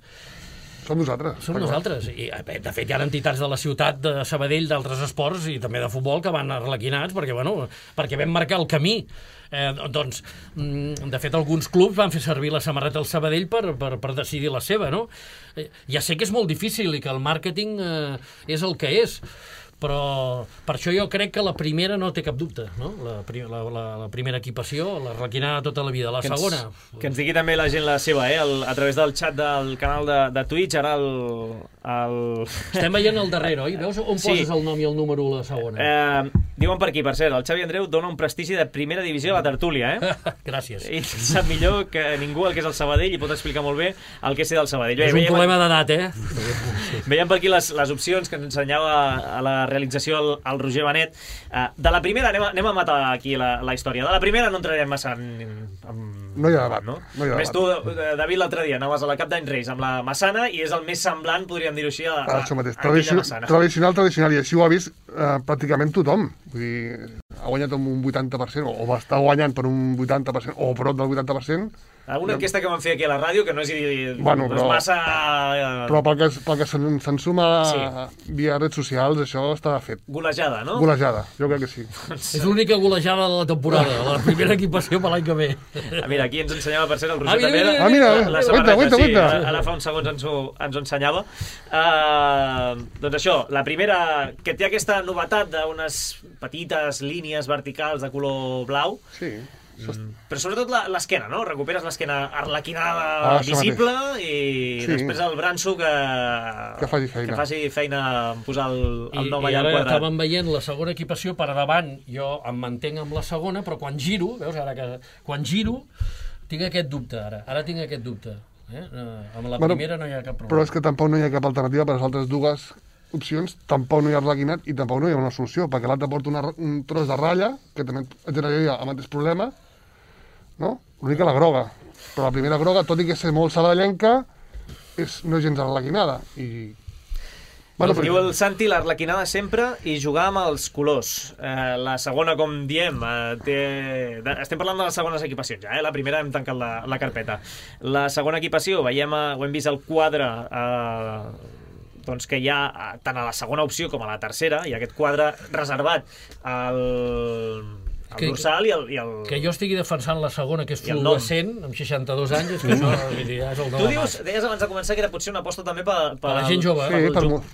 Som nosaltres. Som nosaltres. I, de fet, hi ha entitats de la ciutat de Sabadell, d'altres esports i també de futbol que van arlequinats perquè vam marcar el camí. De fet, alguns clubs van fer servir la samarreta del Sabadell per decidir la seva, no? Ja sé que és molt difícil i que el màrqueting és el que és, però per això jo crec que la primera no té cap dubte, no? La primera equipació, la requinada tota la vida. La segona... Que ens digui també la gent la seva, a través del xat del canal de Twitch, ara Estem veient el darrere, oi? Veus on poses el nom i el número a la segona? Diuen per aquí, per cert, el Xavi Andreu dona un prestigi de primera divisió a la tertúlia, Gràcies. I sap millor que ningú el que és el Sabadell i pot explicar molt bé el que és ser del Sabadell. És un problema d'edat, Veiem per aquí les opcions que ens ensenyava a la realització el Roger Benet. De la primera, anem a matar aquí la història. De la primera no entrarem massa no hi ha debat, no? Més tu, David, l'altre dia anaves a la Cap d'Any Reis amb la Massana i és el més semblant, podríem dir-ho així, a aquella Massana. Tradicional, i així ho ha vist pràcticament tothom. Vull dir, ha guanyat amb un 80%, o va estar guanyant per un 80%, o prop del 80%. Una enquesta que vam fer aquí a la ràdio, que no és massa... Però pel que se'n suma via redes socials, això està fet. Golejada, no? Golejada, jo crec que sí. És l'única golejada de la temporada, la primera equipació per l'any que ve. Mira, aquí ens ensenyava, per cert, el Roger també. Mira, guaita. Ara fa uns segons ens ho ensenyava. Doncs això, la primera, que té aquesta novetat d'unes petites línies verticals de color blau. Sí. Però sobretot l'esquena, no? Recuperes l'esquena arlequinada visible i després el branso que faci feina en posar el nom allà al quadrat. I ara estàvem veient la segona equipació per davant, jo em mantenc amb la segona, però quan giro, veus ara que quan giro tinc aquest dubte ara tinc aquest dubte. Amb la primera no hi ha cap problema. Però és que tampoc no hi ha cap alternativa per les altres dues opcions, tampoc no hi ha arlequinat i tampoc no hi ha una solució, perquè l'altre porta un tros de ratlla, que també et generaria el mateix problema, no? L'única la groga. Però la primera groga, tot i que és molt sabadellenca, no és gens arlequinada. Diu el Santi, l'arlequinada sempre i jugar amb els colors. La segona, com diem, estem parlant de les segones equipacions, la primera hem tancat la carpeta. La segona equipació, ho hem vist al quadre doncs que hi ha tant a la segona opció com a la tercera, i aquest quadre reservat El dorsal i el... Que jo estigui defensant la segona, que és fluorescent, amb 62 anys, és que això ja és el nom. Tu deies abans de començar que era potser una aposta també per la gent jove.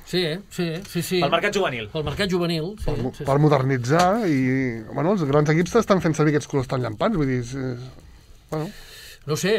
Sí, pel mercat juvenil. Pel mercat juvenil, sí. Per modernitzar i... Bueno, els grans equips estan fent servir aquests colors tan llampants, vull dir... Bueno... No sé,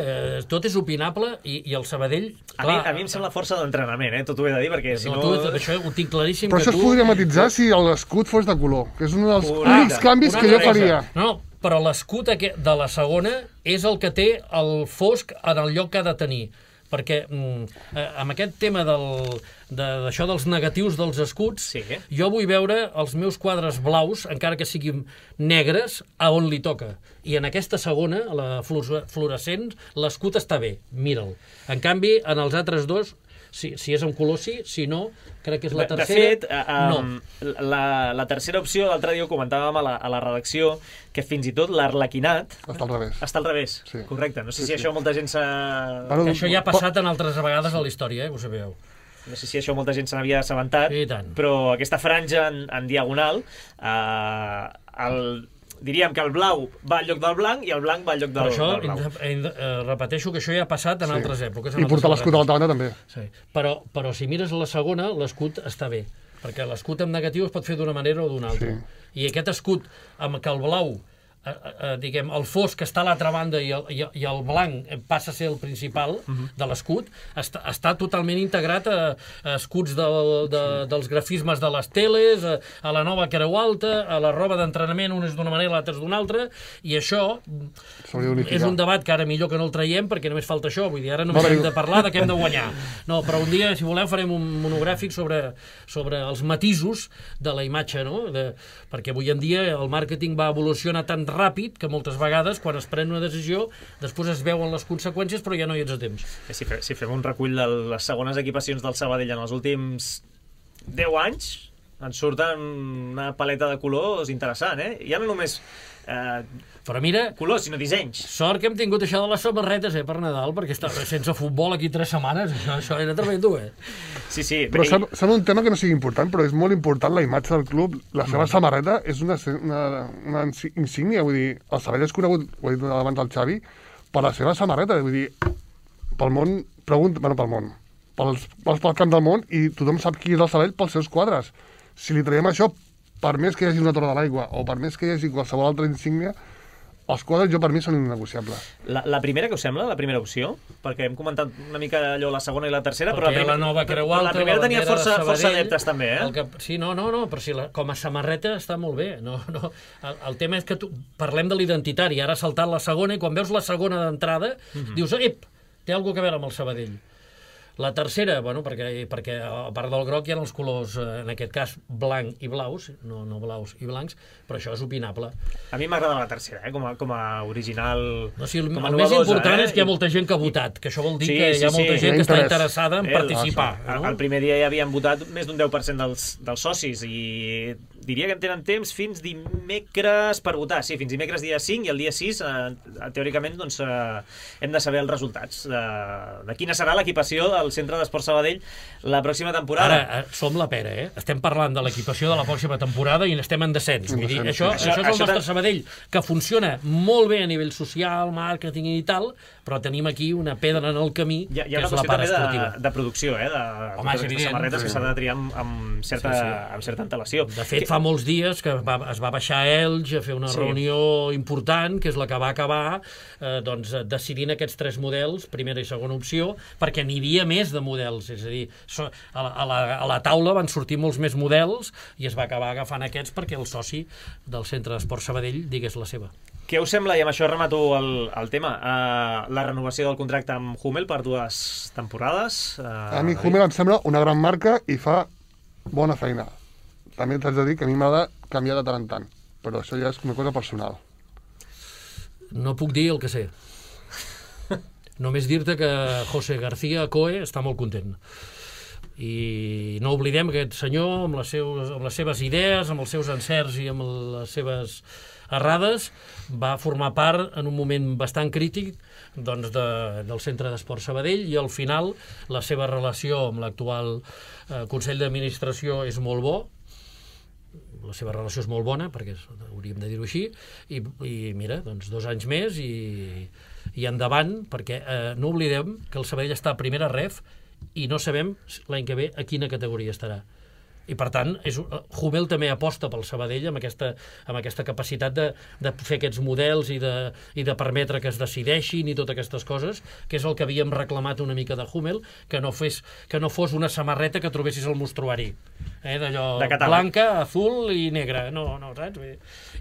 tot és opinable i el Sabadell... Clar, a mi em sembla força d'entrenament, tot ho he de dir, perquè si no... Això ho tinc claríssim. Però això es podria matitzar si l'escut fos de color, que és un dels únics canvis que jo faria. No, però l'escut de la segona és el que té el fosc en el lloc que ha de tenir. Perquè amb aquest tema d'això dels negatius dels escuts, jo vull veure els meus quadres blaus, encara que siguin negres, a on li toca. I en aquesta segona, la fluorescent, l'escut està bé, mira'l. En canvi, en els altres dos, si és en color sí, si no, crec que és la tercera. De fet, la tercera opció, l'altre dia ho comentàvem a la redacció, que fins i tot l'arlequinat... Està al revés. Està al revés, correcte. No sé si això molta gent s'ha... Que això ja ha passat en altres vegades a la història, ho sabeu. No sé si això molta gent se n'havia assabentat, però aquesta franja en diagonal, diríem que el blau va al lloc del blanc i el blanc va al lloc del blau. Però això, repeteixo que això ja ha passat en altres èpoques. I portar l'escut a l'altra banda també. Sí. Però si mires la segona, l'escut està bé, perquè l'escut amb negatiu es pot fer d'una manera o d'una altra. I aquest escut amb que el blau, diguem, el fosc està a l'altra banda i el blanc passa a ser el principal de l'escut, està totalment integrat a escuts dels grafismes de les teles, a la nova creu alta, a la roba d'entrenament, un és d'una manera, l'altre és d'una altra, i això és un debat que ara millor que no el traiem perquè només falta això, vull dir, ara només hem de parlar de què hem de guanyar. No, però un dia, si voleu, farem un monogràfic sobre els matisos de la imatge, no? Perquè avui en dia el màrqueting va evolucionar tan ràpid que moltes vegades quan es pren una decisió després es veuen les conseqüències però ja no hi ets a temps. Si fem un recull de les segones equipacions del Sabadell en els últims 10 anys ens surten una paleta de colors interessant, Ja no només però mira, colors, sinó dissenys. Sort que hem tingut això de les samarretes per Nadal, perquè sense futbol aquí 3 setmanes, això era tremendo, Sí. Però sembla un tema que no sigui important, però és molt important la imatge del club. La seva samarreta és una insígnia, vull dir, el Sabadell és conegut, ho he dit abans al Xavi, per la seva samarreta, vull dir, pel món, pel camp del món, i tothom sap qui és el Sabadell pels seus quadres. Si li traiem això, per més que hi hagi una torre de l'aigua, o per més que hi hagi qualsevol altra insígnia, els quadres, per mi, són innegociables. La primera, què us sembla, la primera opció? Perquè hem comentat una mica allò, la segona i la tercera, però la nova creu alta, la primera tenia força adeptes, també, Sí, no, però si com a samarreta està molt bé. El tema és que parlem de l'identitari, ara ha saltat la segona, i quan veus la segona d'entrada, dius, té alguna cosa a veure amb el Sabadell. La tercera, perquè a part del groc hi ha els colors, en aquest cas, blanc i blaus, no blaus i blancs, però això és opinable. A mi m'agrada la tercera, com a original... El més important és que hi ha molta gent que ha votat, que això vol dir que hi ha molta gent que està interessada en participar. El primer dia ja havien votat més d'un 10% dels socis i diria que en tenen temps fins dimecres per votar. Sí, fins dimecres dia 5 i el dia 6, teòricament, hem de saber els resultats de quina serà l'equipació del Centre d'Esport Sabadell la pròxima temporada. Ara, som la pera, Estem parlant de l'equipació de la pròxima temporada i estem en descens. Vull dir, això és el nostre Sabadell, que funciona molt bé a nivell social, màrqueting i tal, però tenim aquí una pedra en el camí, que és la part esportiva. Hi ha una qüestió de producció, de samarretes que s'ha de triar amb certa antelació. De fet, fa molts dies que es va baixar a Elx a fer una reunió important, que és la que va acabar decidint aquests 3 models, primera i segona opció, perquè n'hi havia més de models, és a dir, a la taula van sortir molts més models i es va acabar agafant aquests perquè el soci del Centre d'Esport Sabadell digués la seva. Què us sembla, i amb això remato el tema, la renovació del contracte amb Hummel per 2 temporades? A mi Hummel em sembla una gran marca i fa bona feina. També t'haig de dir que a mi m'agrada canviar de tant en tant, però això ja és una cosa personal. No puc dir el que sé. Només dir-te que José García Coe està molt content. I no oblidem que aquest senyor, amb les seves idees, amb els seus encerts i amb les seves errades, va formar part en un moment bastant crític del Centre d'Esport Sabadell, i al final la seva relació amb l'actual Consell d'Administració és molt bo. la seva relació és molt bona, perquè hauríem de dir-ho així, i mira, doncs 2 anys més i endavant, perquè no oblidem que el Sabadell està a primera ref i no sabem l'any que ve a quina categoria estarà. I per tant, Hummel també aposta pel Sabadell amb aquesta capacitat de fer aquests models i de permetre que es decideixin i totes aquestes coses, que és el que havíem reclamat una mica de Hummel, que no fos una samarreta que trobessis al mostruari, d'allò blanca, azul i negra, no, saps?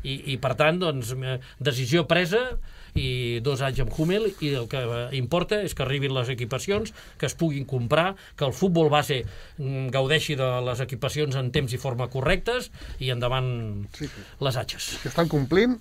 I per tant, doncs, decisió presa i 2 anys amb Hummel, i el que importa és que arribin les equipacions, que es puguin comprar, que el futbol base gaudeixi de les equipacions en temps i forma correctes, i endavant les atxes. Que estan complint.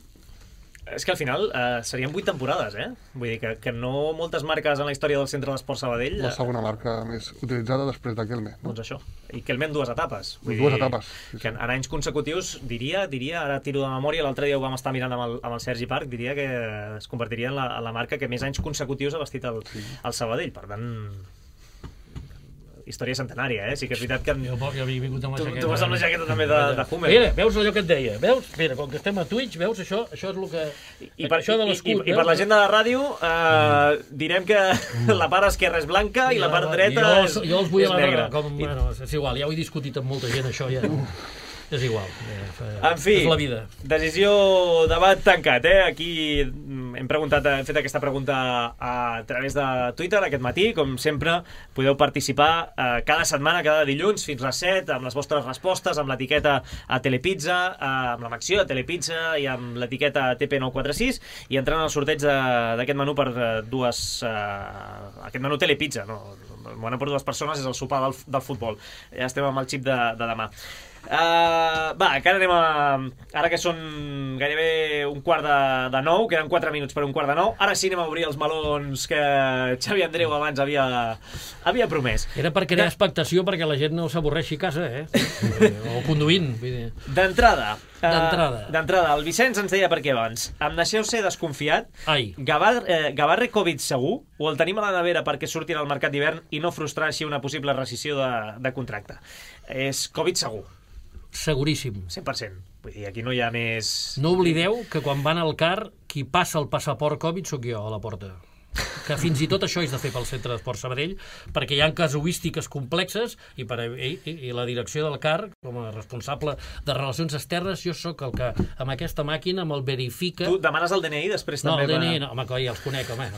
És que al final serien 8 temporades, Vull dir que no moltes marques en la història del Centre d'Esport Sabadell... La segona marca més utilitzada després de Kelme. Doncs això. I Kelme en 2 etapes. Dues etapes. Que en anys consecutius, diria, ara tiro de memòria, l'altre dia ho vam estar mirant amb el Sergi Parc, diria que es convertiria en la marca que més anys consecutius ha vestit el Sabadell. Per tant... història centenària, Sí que és veritat que... Jo havia vingut amb la jaqueta... Tu vas amb la jaqueta també de Hummel. Mira, veus allò que et deia? Veus? Mira, com que estem a Twitch, veus això? Això és el que... Això de l'escut. I per la gent de la ràdio, direm que la part esquerra és blanca i la part dreta és negra. Jo els vull a la... Bueno, és igual, ja ho he discutit amb molta gent, això ja... És igual. En fi, és la vida. Decisió, debat tancat, Aquí hem fet aquesta pregunta a través de Twitter aquest matí. Com sempre, podeu participar cada setmana, cada dilluns, fins a les 7, amb les vostres respostes, amb l'etiqueta a Telepizza, amb la menció a Telepizza i amb l'etiqueta TP946, i entrant al sorteig d'aquest menú per aquest menú Telepizza, no? El menú per 2 persones és el sopar del futbol. Ja estem amb el xip de demà. Que ara que són gairebé 8:45, queden 4 minuts per 8:45, ara sí anem a obrir els melons que Xavi Andreu abans havia promès. Era per crear expectació perquè la gent no s'avorreixi a casa, o conduint. D'entrada, el Vicenç ens deia per què abans. Em deixeu ser desconfiat? Gavarre Covid segur? O el tenim a la nevera perquè surtin al mercat d'hivern i no frustrar així una possible rescissió de contracte? És Covid segur. Seguríssim. 100%. Vull dir, aquí no hi ha més... No oblideu que quan van al CAR, qui passa el passaport Covid sóc jo a la porta. Que fins i tot això és de fer pel Centre d'Esport Sabadell, perquè hi ha casuístiques complexes i la direcció del CAR, com a responsable de relacions externes, jo sóc el que amb aquesta màquina me'l verifica... Tu demanes el DNI després també? No, el DNI no, home, ja els conec, home.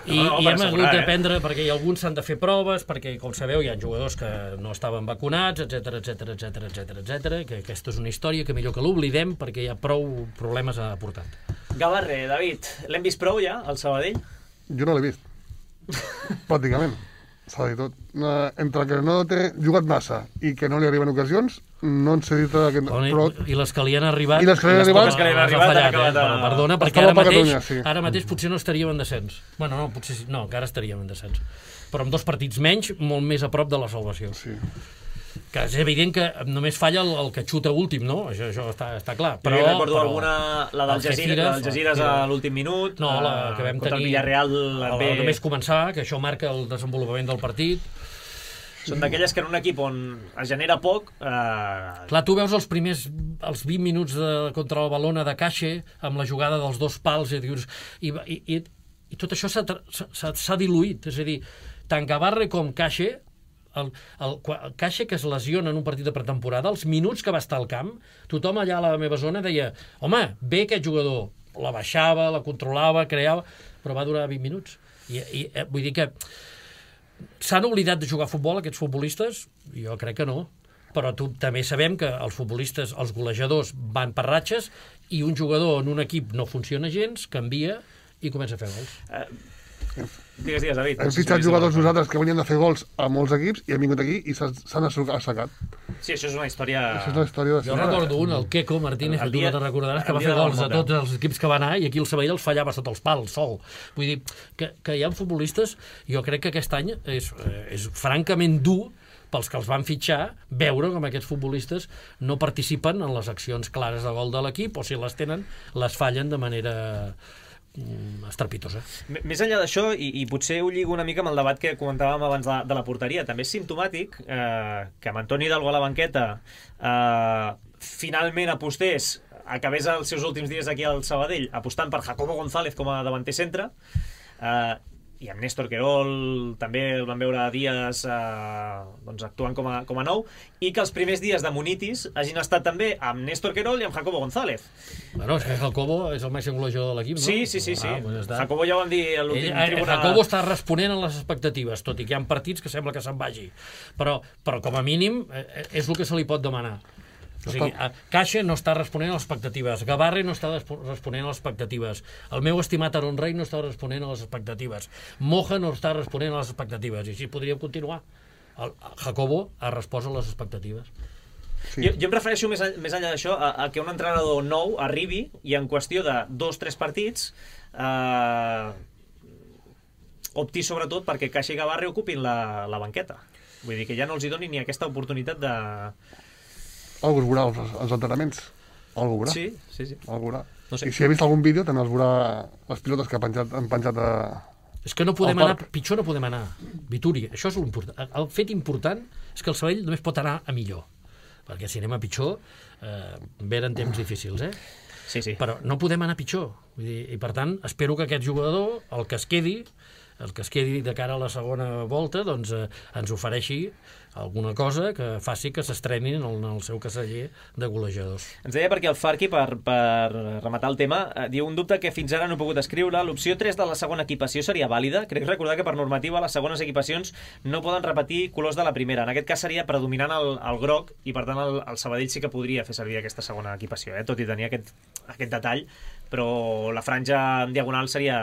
I hem hagut d'aprendre, perquè alguns s'han de fer proves, perquè, com sabeu, hi ha jugadors que no estaven vacunats, etc, que aquesta és una història que millor que l'oblidem, perquè hi ha prou problemes a portar. Gavarre, David, l'hem vist prou ja, al Sabadell? Jo no l'he vist. Pràcticament. S'ha de dir tot. Entre que no té jugat massa i que no li arriben ocasions, no en sé dir... I les que li han arribat... I les que li han arribat... Perdona, perquè ara mateix potser no estaríem en descens. Bueno, no, potser sí. No, que ara estaríem en descens. Però amb 2 partits menys, molt més a prop de la salvació. Sí. Que és evident que només falla el que xuta últim, no? Això està clar. Però recordo alguna, la del Algeciras a l'últim minut, no, la que vam contra tenir, el Villarreal només començar, que això marca el desenvolupament del partit. Són d'aquelles que en un equip on es genera poc... Clar, tu veus els 20 minuts contra el Balona de Caixa, amb la jugada dels 2 pals, i tot això s'ha diluït. És a dir, tant Gavarre com Caixa, el Caixa, que es lesiona en un partit de pretemporada, els minuts que va estar al camp, tothom allà a la meva zona deia, home, bé aquest jugador, la baixava, la controlava, creava, però va durar 20 minuts. I vull dir que s'han oblidat de jugar a futbol, aquests futbolistes? Jo crec que no. Però també sabem que els futbolistes, els golejadors, van per ratxes, i un jugador en un equip no funciona gens, canvia i comença a fer gols. Digues, David. Hem fitxat jugadors nosaltres que venien de fer gols a molts equips i hem vingut aquí i s'han assecat. Sí, això és una història... Jo recordo un, el Queco Martínez, que tu no te'n recordaràs, que va fer gols a tots els equips que va anar, i aquí el Sabadell els fallava sota els pals, sol. Vull dir, que hi ha futbolistes, jo crec que aquest any és francament dur pels que els van fitxar, veure com aquests futbolistes no participen en les accions clares de gol de l'equip, o si les tenen, les fallen de manera estrepitosa. Més enllà d'això, i potser ho lligo una mica amb el debat que comentàvem abans de la porteria, també és simptomàtic que amb Antoni Hidalgo a la banqueta finalment apostés, acabés els seus últims dies aquí al Sabadell apostant per Jacobo González com a davanter centre, i amb Néstor Querol també el van veure dies actuant com a nou, i que els primers dies de Munitis hagin estat també amb Néstor Querol i amb Jacobo González. Bueno, és que Jacobo és el màxim golejador de l'equip, no? Sí. Jacobo ja ho vam dir a l'últim tribunal. Jacobo està responent a les expectatives, tot i que hi ha partits que sembla que se'n vagi. Però com a mínim és el que se li pot demanar. O sigui, Caixa no està responent a les expectatives, Gavarre no està responent a les expectatives, el meu estimat Aaron Rey no està responent a les expectatives, Moja no està responent a les expectatives, i així podríem continuar. Jacobo ha respost a les expectatives. Sí. Jo em refereixo més enllà d'això a que un entrenador nou arribi i en qüestió de 2-3 partits opti sobretot perquè Caixa i Gavarre ocupin la banqueta. Vull dir que ja no els hi doni ni aquesta oportunitat de... Algú es veurà els entrenaments. Algú veurà. Sí. Algú veurà. No sé. I si he vist algun vídeo també els veurà les pilotes que han penjat a... És que no podem anar, pitjor no podem anar. Vituri, això és l'important. El fet important és que el Sabadell només pot anar a millor. Perquè si anem a pitjor, venen temps difícils, Sí. Però no podem anar pitjor. Vull dir, i per tant, espero que aquest jugador, el que es quedi de cara a la segona volta, doncs ens ofereixi alguna cosa que faci que s'estrenin en el seu caseller de golejadors. Ens deia perquè el Farqui, per rematar el tema, diu un dubte que fins ara no he pogut escriure. L'opció 3 de la segona equipació seria vàlida? Crec recordar que per normativa les segones equipacions no poden repetir colors de la primera. En aquest cas seria predominant el groc i per tant el Sabadell sí que podria fer servir aquesta segona equipació, tot i tenir aquest detall, però la franja en diagonal seria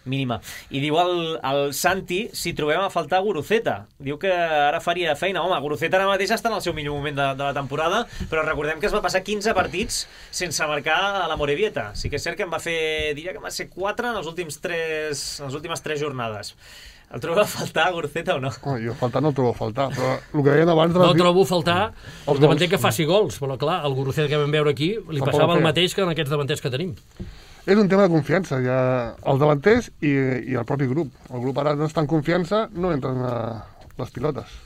mínima. I diu el Santi si trobem a faltar Guruceta. Diu que ara faria feina. Home, Guruceta ara mateix està en el seu millor moment de la temporada, però recordem que es va passar 15 partits sense marcar a la Morevieta. Sí que és cert que diria que va ser 4 en les últimes 3 jornades. El trobeu a faltar, Guruceta, o no? Jo faltar no el trobo a faltar, però el que deien abans... No trobo a faltar el davanter que faci gols, però clar, el Guruceta que vam veure aquí li passava el mateix que en aquests davanters que tenim. És un tema de confiança, ja els davanters i el propi grup. El grup ara no està en confiança, no entren les pilotes.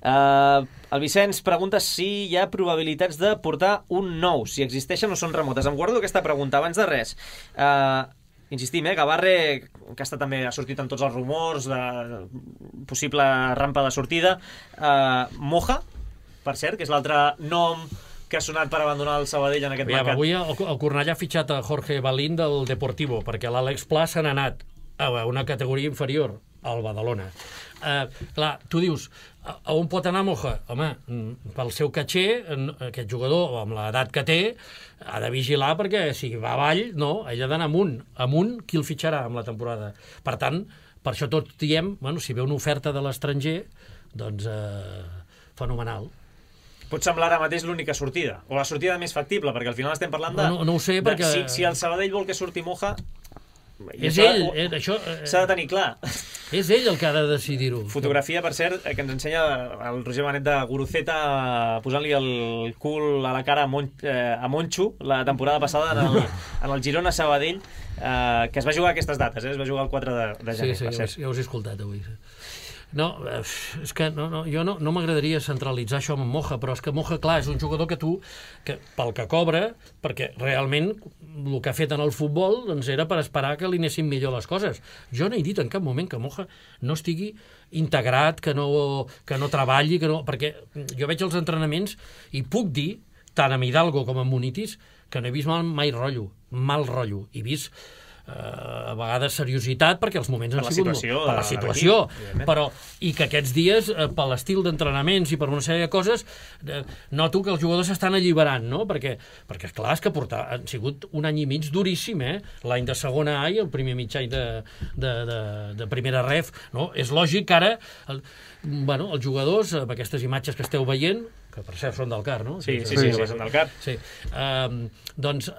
El Vicenç pregunta si hi ha probabilitats de portar un nou, si existeixen o són remotes. Em guardo aquesta pregunta abans de res. Insistim, Gavarre, que també ha sortit en tots els rumors de possible rampa de sortida. Moja, per cert, que és l'altre nom que ha sonat per abandonar el Sabadell en aquest mercat. Avui el Cornellà ha fitxat a Jorge Balín del Deportivo, perquè l'Àlex Pla se n'ha anat a una categoria inferior, al Badalona. Clar, tu dius, a on pot anar Moja? Home, pel seu caché, aquest jugador, amb l'edat que té, ha de vigilar perquè si va avall, no, ell ha d'anar amunt, qui el fitxarà amb la temporada? Per tant, per això tots diem, bueno, si ve una oferta de l'estranger, doncs fenomenal. Pot semblar ara mateix l'única sortida, o la sortida més factible, perquè al final estem parlant de... No ho sé, perquè... Si el Sabadell vol que surti Moja... És ell, això... S'ha de tenir clar. És ell el que ha de decidir-ho. Fotografia, per cert, que ens ensenya el Roger Benet de Guruceta posant-li el cul a la cara a Moncho la temporada passada en el Girona Sabadell, que es va jugar a aquestes dates, es va jugar el 4 de gener. Sí, ja us he escoltat avui. No, és que jo no m'agradaria centralitzar això amb Moja, però és que Moja, clar, és un jugador que pel que cobra, perquè realment el que ha fet en el futbol doncs era per esperar que li anessin millor les coses. Jo no he dit en cap moment que Moja no estigui integrat, que no treballi, perquè jo veig els entrenaments i puc dir, tant amb Hidalgo com amb Munitis, que no he vist mai mal rotllo. He vist a vegades seriositat perquè els moments han sigut per la situació, però i que aquests dies per l'estil d'entrenaments i per una sèrie de coses noto que els jugadors s'estan alliberant, no? Perquè clar, és que han sigut un any i mig duríssim, l'any de segona A i el primer mig any de primera ref, no? És lògic que ara els jugadors, amb aquestes imatges que esteu veient, que per cert són del CAR, no? Sí, són del CAR. Sí. Doncs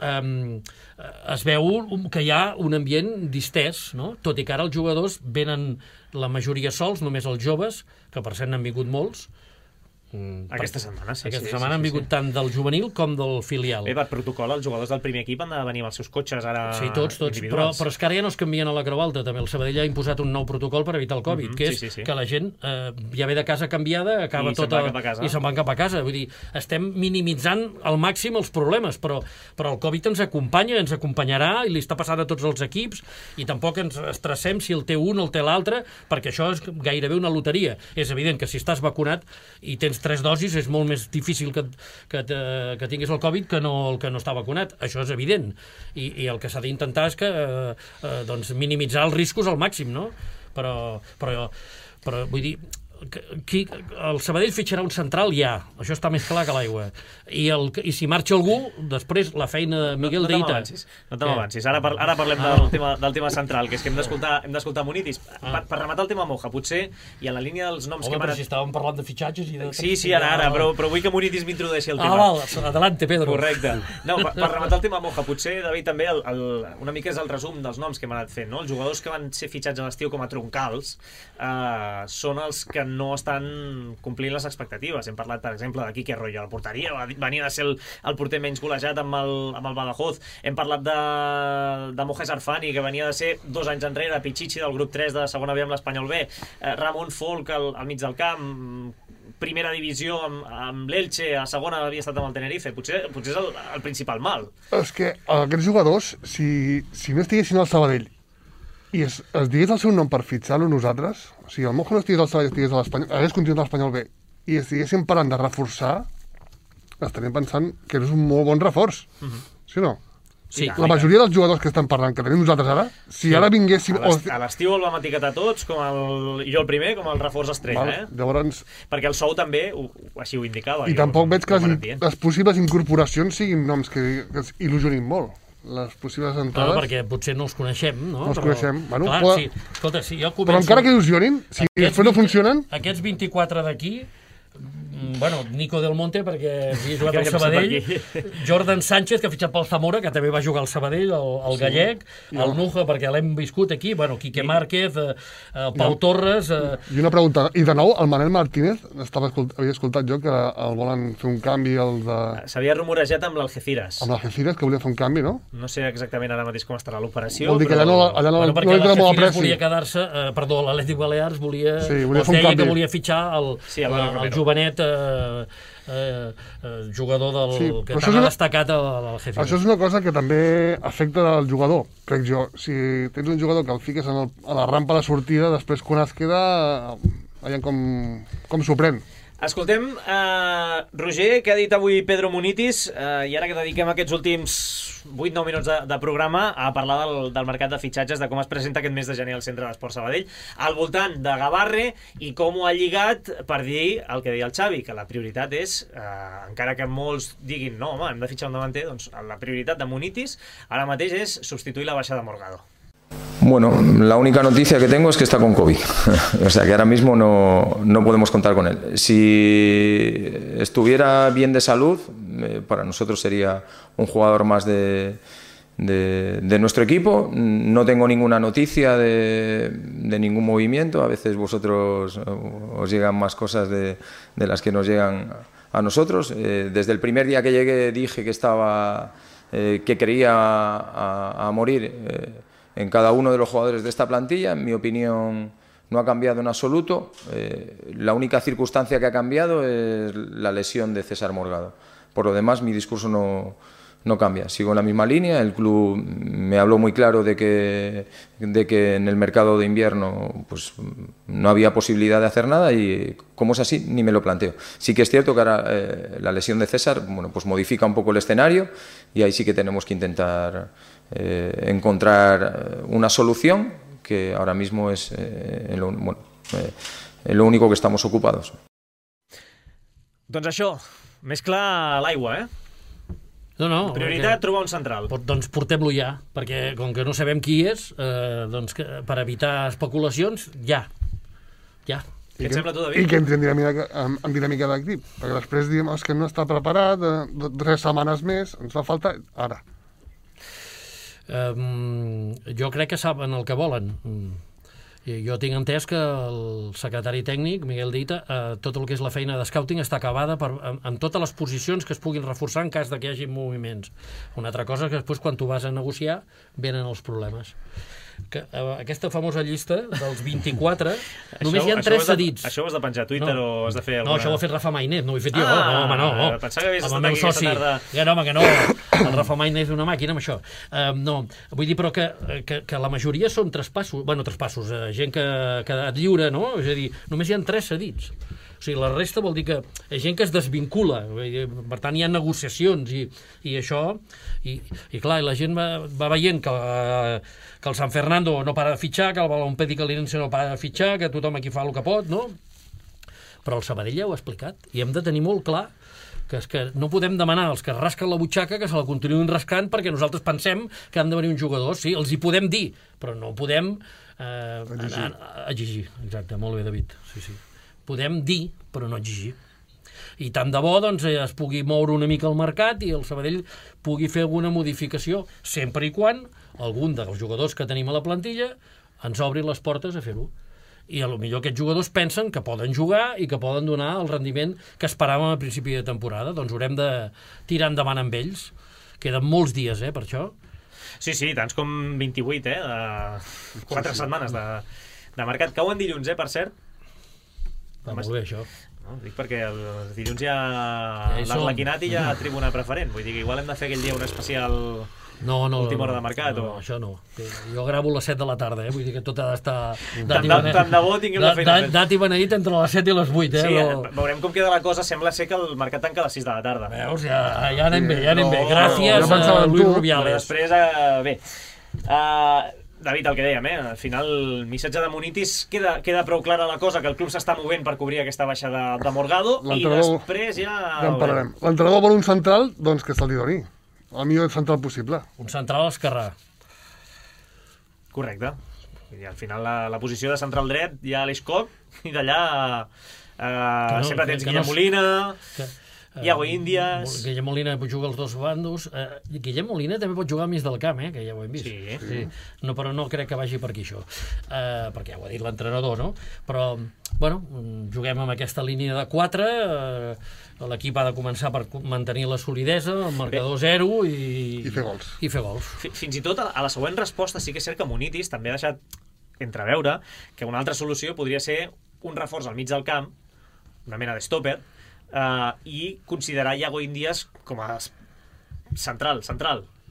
es veu que hi ha un ambient distès, no? Tot i que ara els jugadors venen la majoria sols, només els joves, que per cert n'han vingut molts, Aquesta setmana, sí. Aquesta setmana han vingut tant del juvenil com del filial. Bé, per protocol, els jugadors del primer equip han de venir amb els seus cotxes ara tots, però és que ara ja no es canvien a la Creu Alta, també. El Sabadell ha imposat un nou protocol per evitar el Covid, que és que la gent ja ve de casa canviada, acaba tota... I se'n van cap a casa. Vull dir, estem minimitzant al màxim els problemes, però el Covid ens acompanya, ens acompanyarà, i li està passant a tots els equips, i tampoc ens estressem si el té un o el té l'altre, perquè això és gairebé una loteria. És evident que si estàs vacunat i tens 3 dosis és molt més difícil que tinguis el Covid que el que no està vacunat. Això és evident. I el que s'ha d'intentar és que minimitzar els riscos al màxim, no? Però vull dir, el Sabadell fitxarà un central ja, això està més clar que l'aigua, i si marxa algú després la feina de Miguel Deita. No te m'avancis, ara parlem del tema central, que és que hem d'escoltar Munitis. Per rematar el tema Moja, potser, i en la línia dels noms que hem anat... si estàvem parlant de fitxatges i de... Sí, ara, però vull que Munitis m'introdueixi el tema. Adelante, Pedro. Correcte. No, per rematar el tema Moja, potser, David, també una mica és el resum dels noms que hem anat fent, no? Els jugadors que van ser fitxats a l'estiu com a troncals són els que no estan complint les expectatives. Hem parlat, per exemple, de Quique Arroyo a la porteria, venia de ser el porter menys golejat amb el Badajoz. Hem parlat de Mojes Arfani, que venia de ser 2 anys enrere Pichichi del grup 3 de segona B amb l'Espanyol B. Ramon Folk al mig del camp, primera divisió amb l'Elche, a segona havia estat amb el Tenerife. Potser és el principal mal. És que aquests jugadors, si no estiguessin al Sabadell i es digués el seu nom per fitxar-lo nosaltres, o sigui, el Mojo no estigués al Sabadell, estigués a l'Espanyol, hagués continuat a l'Espanyol B, i estiguéssim parlant de reforçar, estaríem pensant que és un molt bon reforç. Sí o no? Sí, la majoria dels jugadors que estan parlant, que tenim nosaltres ara, si ara vinguéssim... A l'estiu el vam etiquetar tots, jo el primer, com el reforç estrella, Llavors... Perquè el sou també així ho indicava. I tampoc veig que les possibles incorporacions siguin noms que il·lusionin molt. Les possibles entrades... perquè potser no els coneixem, no? No els coneixem. Clar, escolta, si jo començo... Però encara que il·lusionin, si després no funcionen... Aquests 24 d'aquí, Nico Del Monte, perquè havia jugat al Sabadell, Jordan Sánchez, que ha fitxat pel Zamora, que també va jugar al Sabadell, el gallec, el Nuja, perquè l'hem viscut aquí, Quique Márquez, Pau Torres... I una pregunta, i de nou, el Manel Martínez, havia escoltat jo que el volen fer un canvi, s'havia rumorejat amb l'Algeciras. Amb l'Algeciras, que volia fer un canvi, no? No sé exactament ara mateix com estarà l'operació. Vol dir que allà no li queda molt a pressi. Volia quedar-se, l'Atlètic Balears volia... Sí, volia fer un canvi. Que volia fitxar el jovenet jugador que tan ha destacat a l'Algeciras. Això és una cosa que també afecta el jugador, crec jo. Si tens un jugador que el fiques a la rampa de sortida, després quan es queda, veiem com s'ho pren. Escoltem, Roger, què ha dit avui Pedro Munitis, i ara que dediquem aquests últims 8-9 minuts de programa a parlar del mercat de fitxatges, de com es presenta aquest mes de gener al Centre d'Esport Sabadell, al voltant de Gavarre, i com ho ha lligat per dir el que deia el Xavi, que la prioritat és, encara que molts diguin no, home, hem de fitxar un davanter, doncs la prioritat de Munitis ara mateix és substituir la baixada de Morgado. Bueno, la única noticia que tengo es que está con COVID. O sea que ahora mismo no podemos contar con él. Si estuviera bien de salud, para nosotros sería un jugador más de nuestro equipo. No tengo ninguna noticia de ningún movimiento. A veces vosotros os llegan más cosas de las que nos llegan a nosotros. Desde el primer día que llegué dije que quería a morir en cada uno de los jugadores de esta plantilla. En mi opinión no ha cambiado en absoluto. La única circunstancia que ha cambiado es la lesión de César Morgado. Por lo demás, mi discurso no cambia. Sigo en la misma línea. El club me habló muy claro de que en el mercado de invierno pues, no había posibilidad de hacer nada, y como es así, ni me lo planteo. Sí que es cierto que ahora la lesión de César pues modifica un poco el escenario, y ahí sí que tenemos que intentar encontrar una solución, que ahora mismo es en lo único que estamos ocupados. Doncs això, més clar l'aigua, No, prioritat, trobar un central. Doncs portem-lo ja, perquè com que no sabem qui és, doncs per evitar especulacions, ja. Què et sembla tu, David? I que entri en dinàmica d'equip, perquè després diem que no està preparat, 3 setmanes més, ens fa falta ara. Jo crec que saben el que volen. Jo tinc entès que el secretari tècnic, Miguel Dita, tot el que és la feina de scouting està acabada amb totes les posicions que es puguin reforçar en cas que hi hagi moviments. Una altra cosa que després, quan tu vas a negociar, venen els problemes. Aquesta famosa llista dels 24, només hi ha 3 cedits. Això ho has de penjar a Twitter o has de fer alguna... No, això ho ha fet Rafa Mainet, no ho he fet jo. No. Pensava que havies estat aquí aquesta tarda. Home, que no. El Rafa Mainet és una màquina amb això. No, vull dir, però que la majoria són traspassos, gent que ha quedat lliure, no? És a dir, només hi ha 3 cedits. O sigui, la resta vol dir que és gent que es desvincula, per tant hi ha negociacions i això, i clar, la gent va veient que el San Fernando no para de fitxar, que el Balompedi Calinense no para de fitxar, que tothom aquí fa el que pot, no? Però el Sabadell ja ho ha explicat, i hem de tenir molt clar que és que no podem demanar als que rasquen la butxaca que se la continuïn rascant perquè nosaltres pensem que han de venir uns jugadors. Sí, els hi podem dir, però no podem exigir. Exacte, molt bé, David. Sí. Podem dir, però no exigir. I tant de bo doncs, es pugui moure una mica el mercat i el Sabadell pugui fer alguna modificació, sempre i quan algun dels jugadors que tenim a la plantilla ens obri les portes a fer-ho. I potser aquests jugadors pensen que poden jugar i que poden donar el rendiment que esperàvem a principi de temporada. Doncs haurem de tirar endavant amb ells. Queden molts dies, per això. Sí, tants com 28, 4 setmanes de mercat. Cauen dilluns, per cert. Va molt bé, això. No, dic perquè el dilluns hi ha l'Arlequinat i hi ha tribuna preferent. Vull dir que igual hem de fer aquell dia un especial... última hora de mercat. No, això no. Jo gravo a les 7 de la tarda, vull dir que tot ha d'estar... Tant de bo tinguem la feina. Dat i beneït entre les 7 i les 8, Sí, veurem com queda la cosa. Sembla ser que el mercat tanca a les 6 de la tarda. Veus, ja anem bé. Gràcies a Luis Rubiales. Després, bé... David, el que dèiem, al final el missatge de Munitis queda prou clara la cosa, que el club s'està movent per cobrir aquesta baixa de Morgado i després ja... Ja en parlarem. L'entrenador vol un central, doncs que se'l doni. El millor central possible. Un central esquerrà. Correcte. I al final la posició de central dret hi ha Aleix Coc i d'allà sempre tens Guillem Molina, Iago Índies... Guillem Molina juga als dos bandos. Guillem Molina també pot jugar al mig del camp, que ja ho hem vist. Sí. No, però no crec que vagi per aquí això. Perquè ja ho ha dit l'entrenador, no? Però, bueno, juguem amb aquesta línia de 4... L'equip ha de començar per mantenir la solidesa, el marcador 0 i fer gols. Fins i tot a la següent resposta sí que és cert que Munitis també ha deixat entreveure que una altra solució podria ser un reforç al mig del camp, una mena d'estòper, i considerar Iago Índies com a central,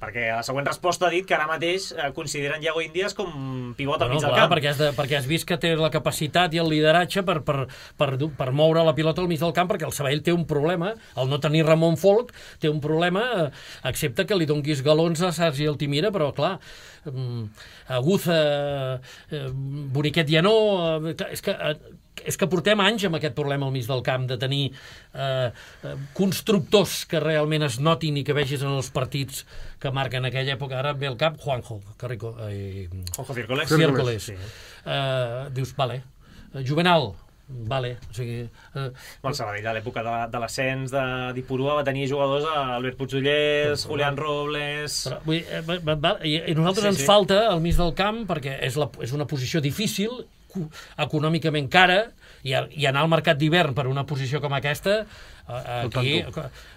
perquè a la següent resposta ha dit que ara mateix consideren Iago Índies com pivot al mig del camp. Perquè has vist que té la capacitat i el lideratge per moure la pilota al mig del camp, perquè el Sabadell té un problema, el no tenir Ramon Folk té un problema, excepte que li donguis galons a Sergi Altimira, però clar, Aguza, Boniquet ja no... És que portem anys amb aquest problema al mig del camp, de tenir constructors que realment es notin i que vegis en els partits que marquen aquella època. Ara ve el cap Juanjo Círcoles. Dius, vale. Juvenal, vale. O sigui, el Sabadell a l'època de l'ascens de Dipurua va tenir jugadors Albert Puigdollers, Julián Robles... I nosaltres ens falta al mig del camp, perquè és una posició difícil, econòmicament cara, i anar al mercat d'hivern per una posició com aquesta, aquí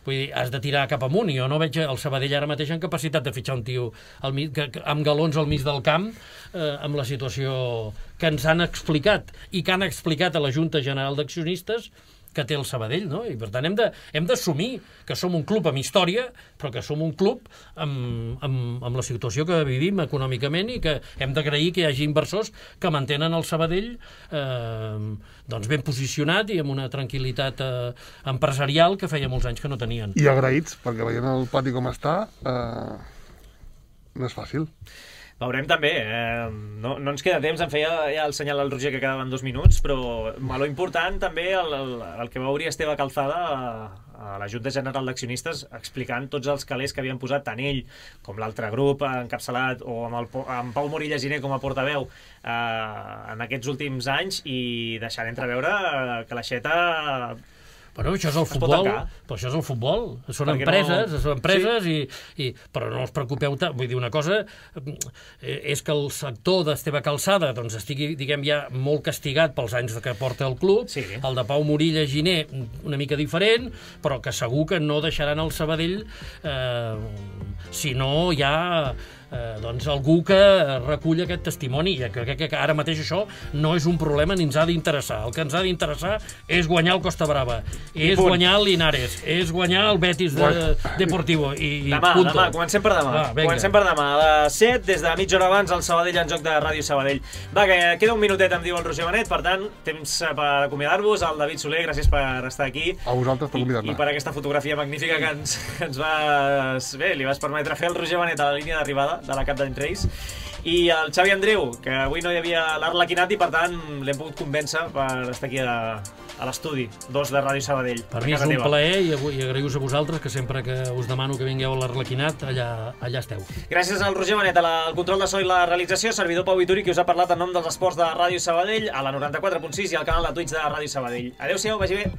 vull dir, has de tirar cap amunt. Jo no veig el Sabadell ara mateix en capacitat de fitxar un tio amb galons al mig del camp, amb la situació que ens han explicat i que han explicat a la Junta General d'Accionistes que té el Sabadell, no? I per tant hem d'assumir que som un club amb història, però que som un club amb la situació que vivim econòmicament i que hem d'agrair que hi hagi inversors que mantenen el Sabadell doncs ben posicionat i amb una tranquil·litat empresarial que feia molts anys que no tenien. I agraïts, perquè veient el pati com està, no és fàcil. Veurem també, no ens queda temps, em feia ja el senyal al Roger que quedaven 2 minuts, però lo important també el que va obrir Esteve Calzada a la Junta General d'Accionistes explicant tots els calés que havien posat tant ell com l'altre grup encapçalat o amb Pau Morilla Giner com a portaveu en aquests últims anys, i deixant entreveure que l'Aixeta Bueno, això és el futbol, però això és el futbol. Són empreses, però no us preocupeu tant. Vull dir, una cosa és que el sector d'Esteve Calçada doncs, estigui, diguem, ja molt castigat pels anys que porta el club, el de Pau Morilla Giner una mica diferent, però que segur que no deixaran el Sabadell si no hi ha doncs algú que recull aquest testimoni, i crec que ara mateix això no és un problema ni ens ha d'interessar. El que ens ha d'interessar és guanyar el Costa Brava, és guanyar el Linares, és guanyar el Betis Deportivo. Demà, comencem per demà. Comencem per demà. A les 7, des de mitja hora abans, el Sabadell en joc de Ràdio Sabadell. Va, que queda un minutet, em diu el Roger Benet, per tant, temps per acomiadar-vos. El David Soler, gràcies per estar aquí. A vosaltres per convidar-me. I per aquesta fotografia magnífica que ens vas... Bé, li vas permetre fer el Roger Benet a la línia d'arribada de la Cap d'Any Reis, i el Xavi Andreu, que avui no hi havia l'Arlequinat i per tant l'hem pogut convèncer per estar aquí a l'estudi 2 de Ràdio Sabadell. Per mi és un plaer i agraïu-vos a vosaltres, que sempre que us demano que vingueu a l'Arlequinat, allà esteu. Gràcies al Roger Benet, al control de so i la realització, servidor Pau Vituri, que us ha parlat en nom dels esports de Ràdio Sabadell, a la 94.6 i al canal de Twitch de Ràdio Sabadell. Adéu-siau, vagi bé.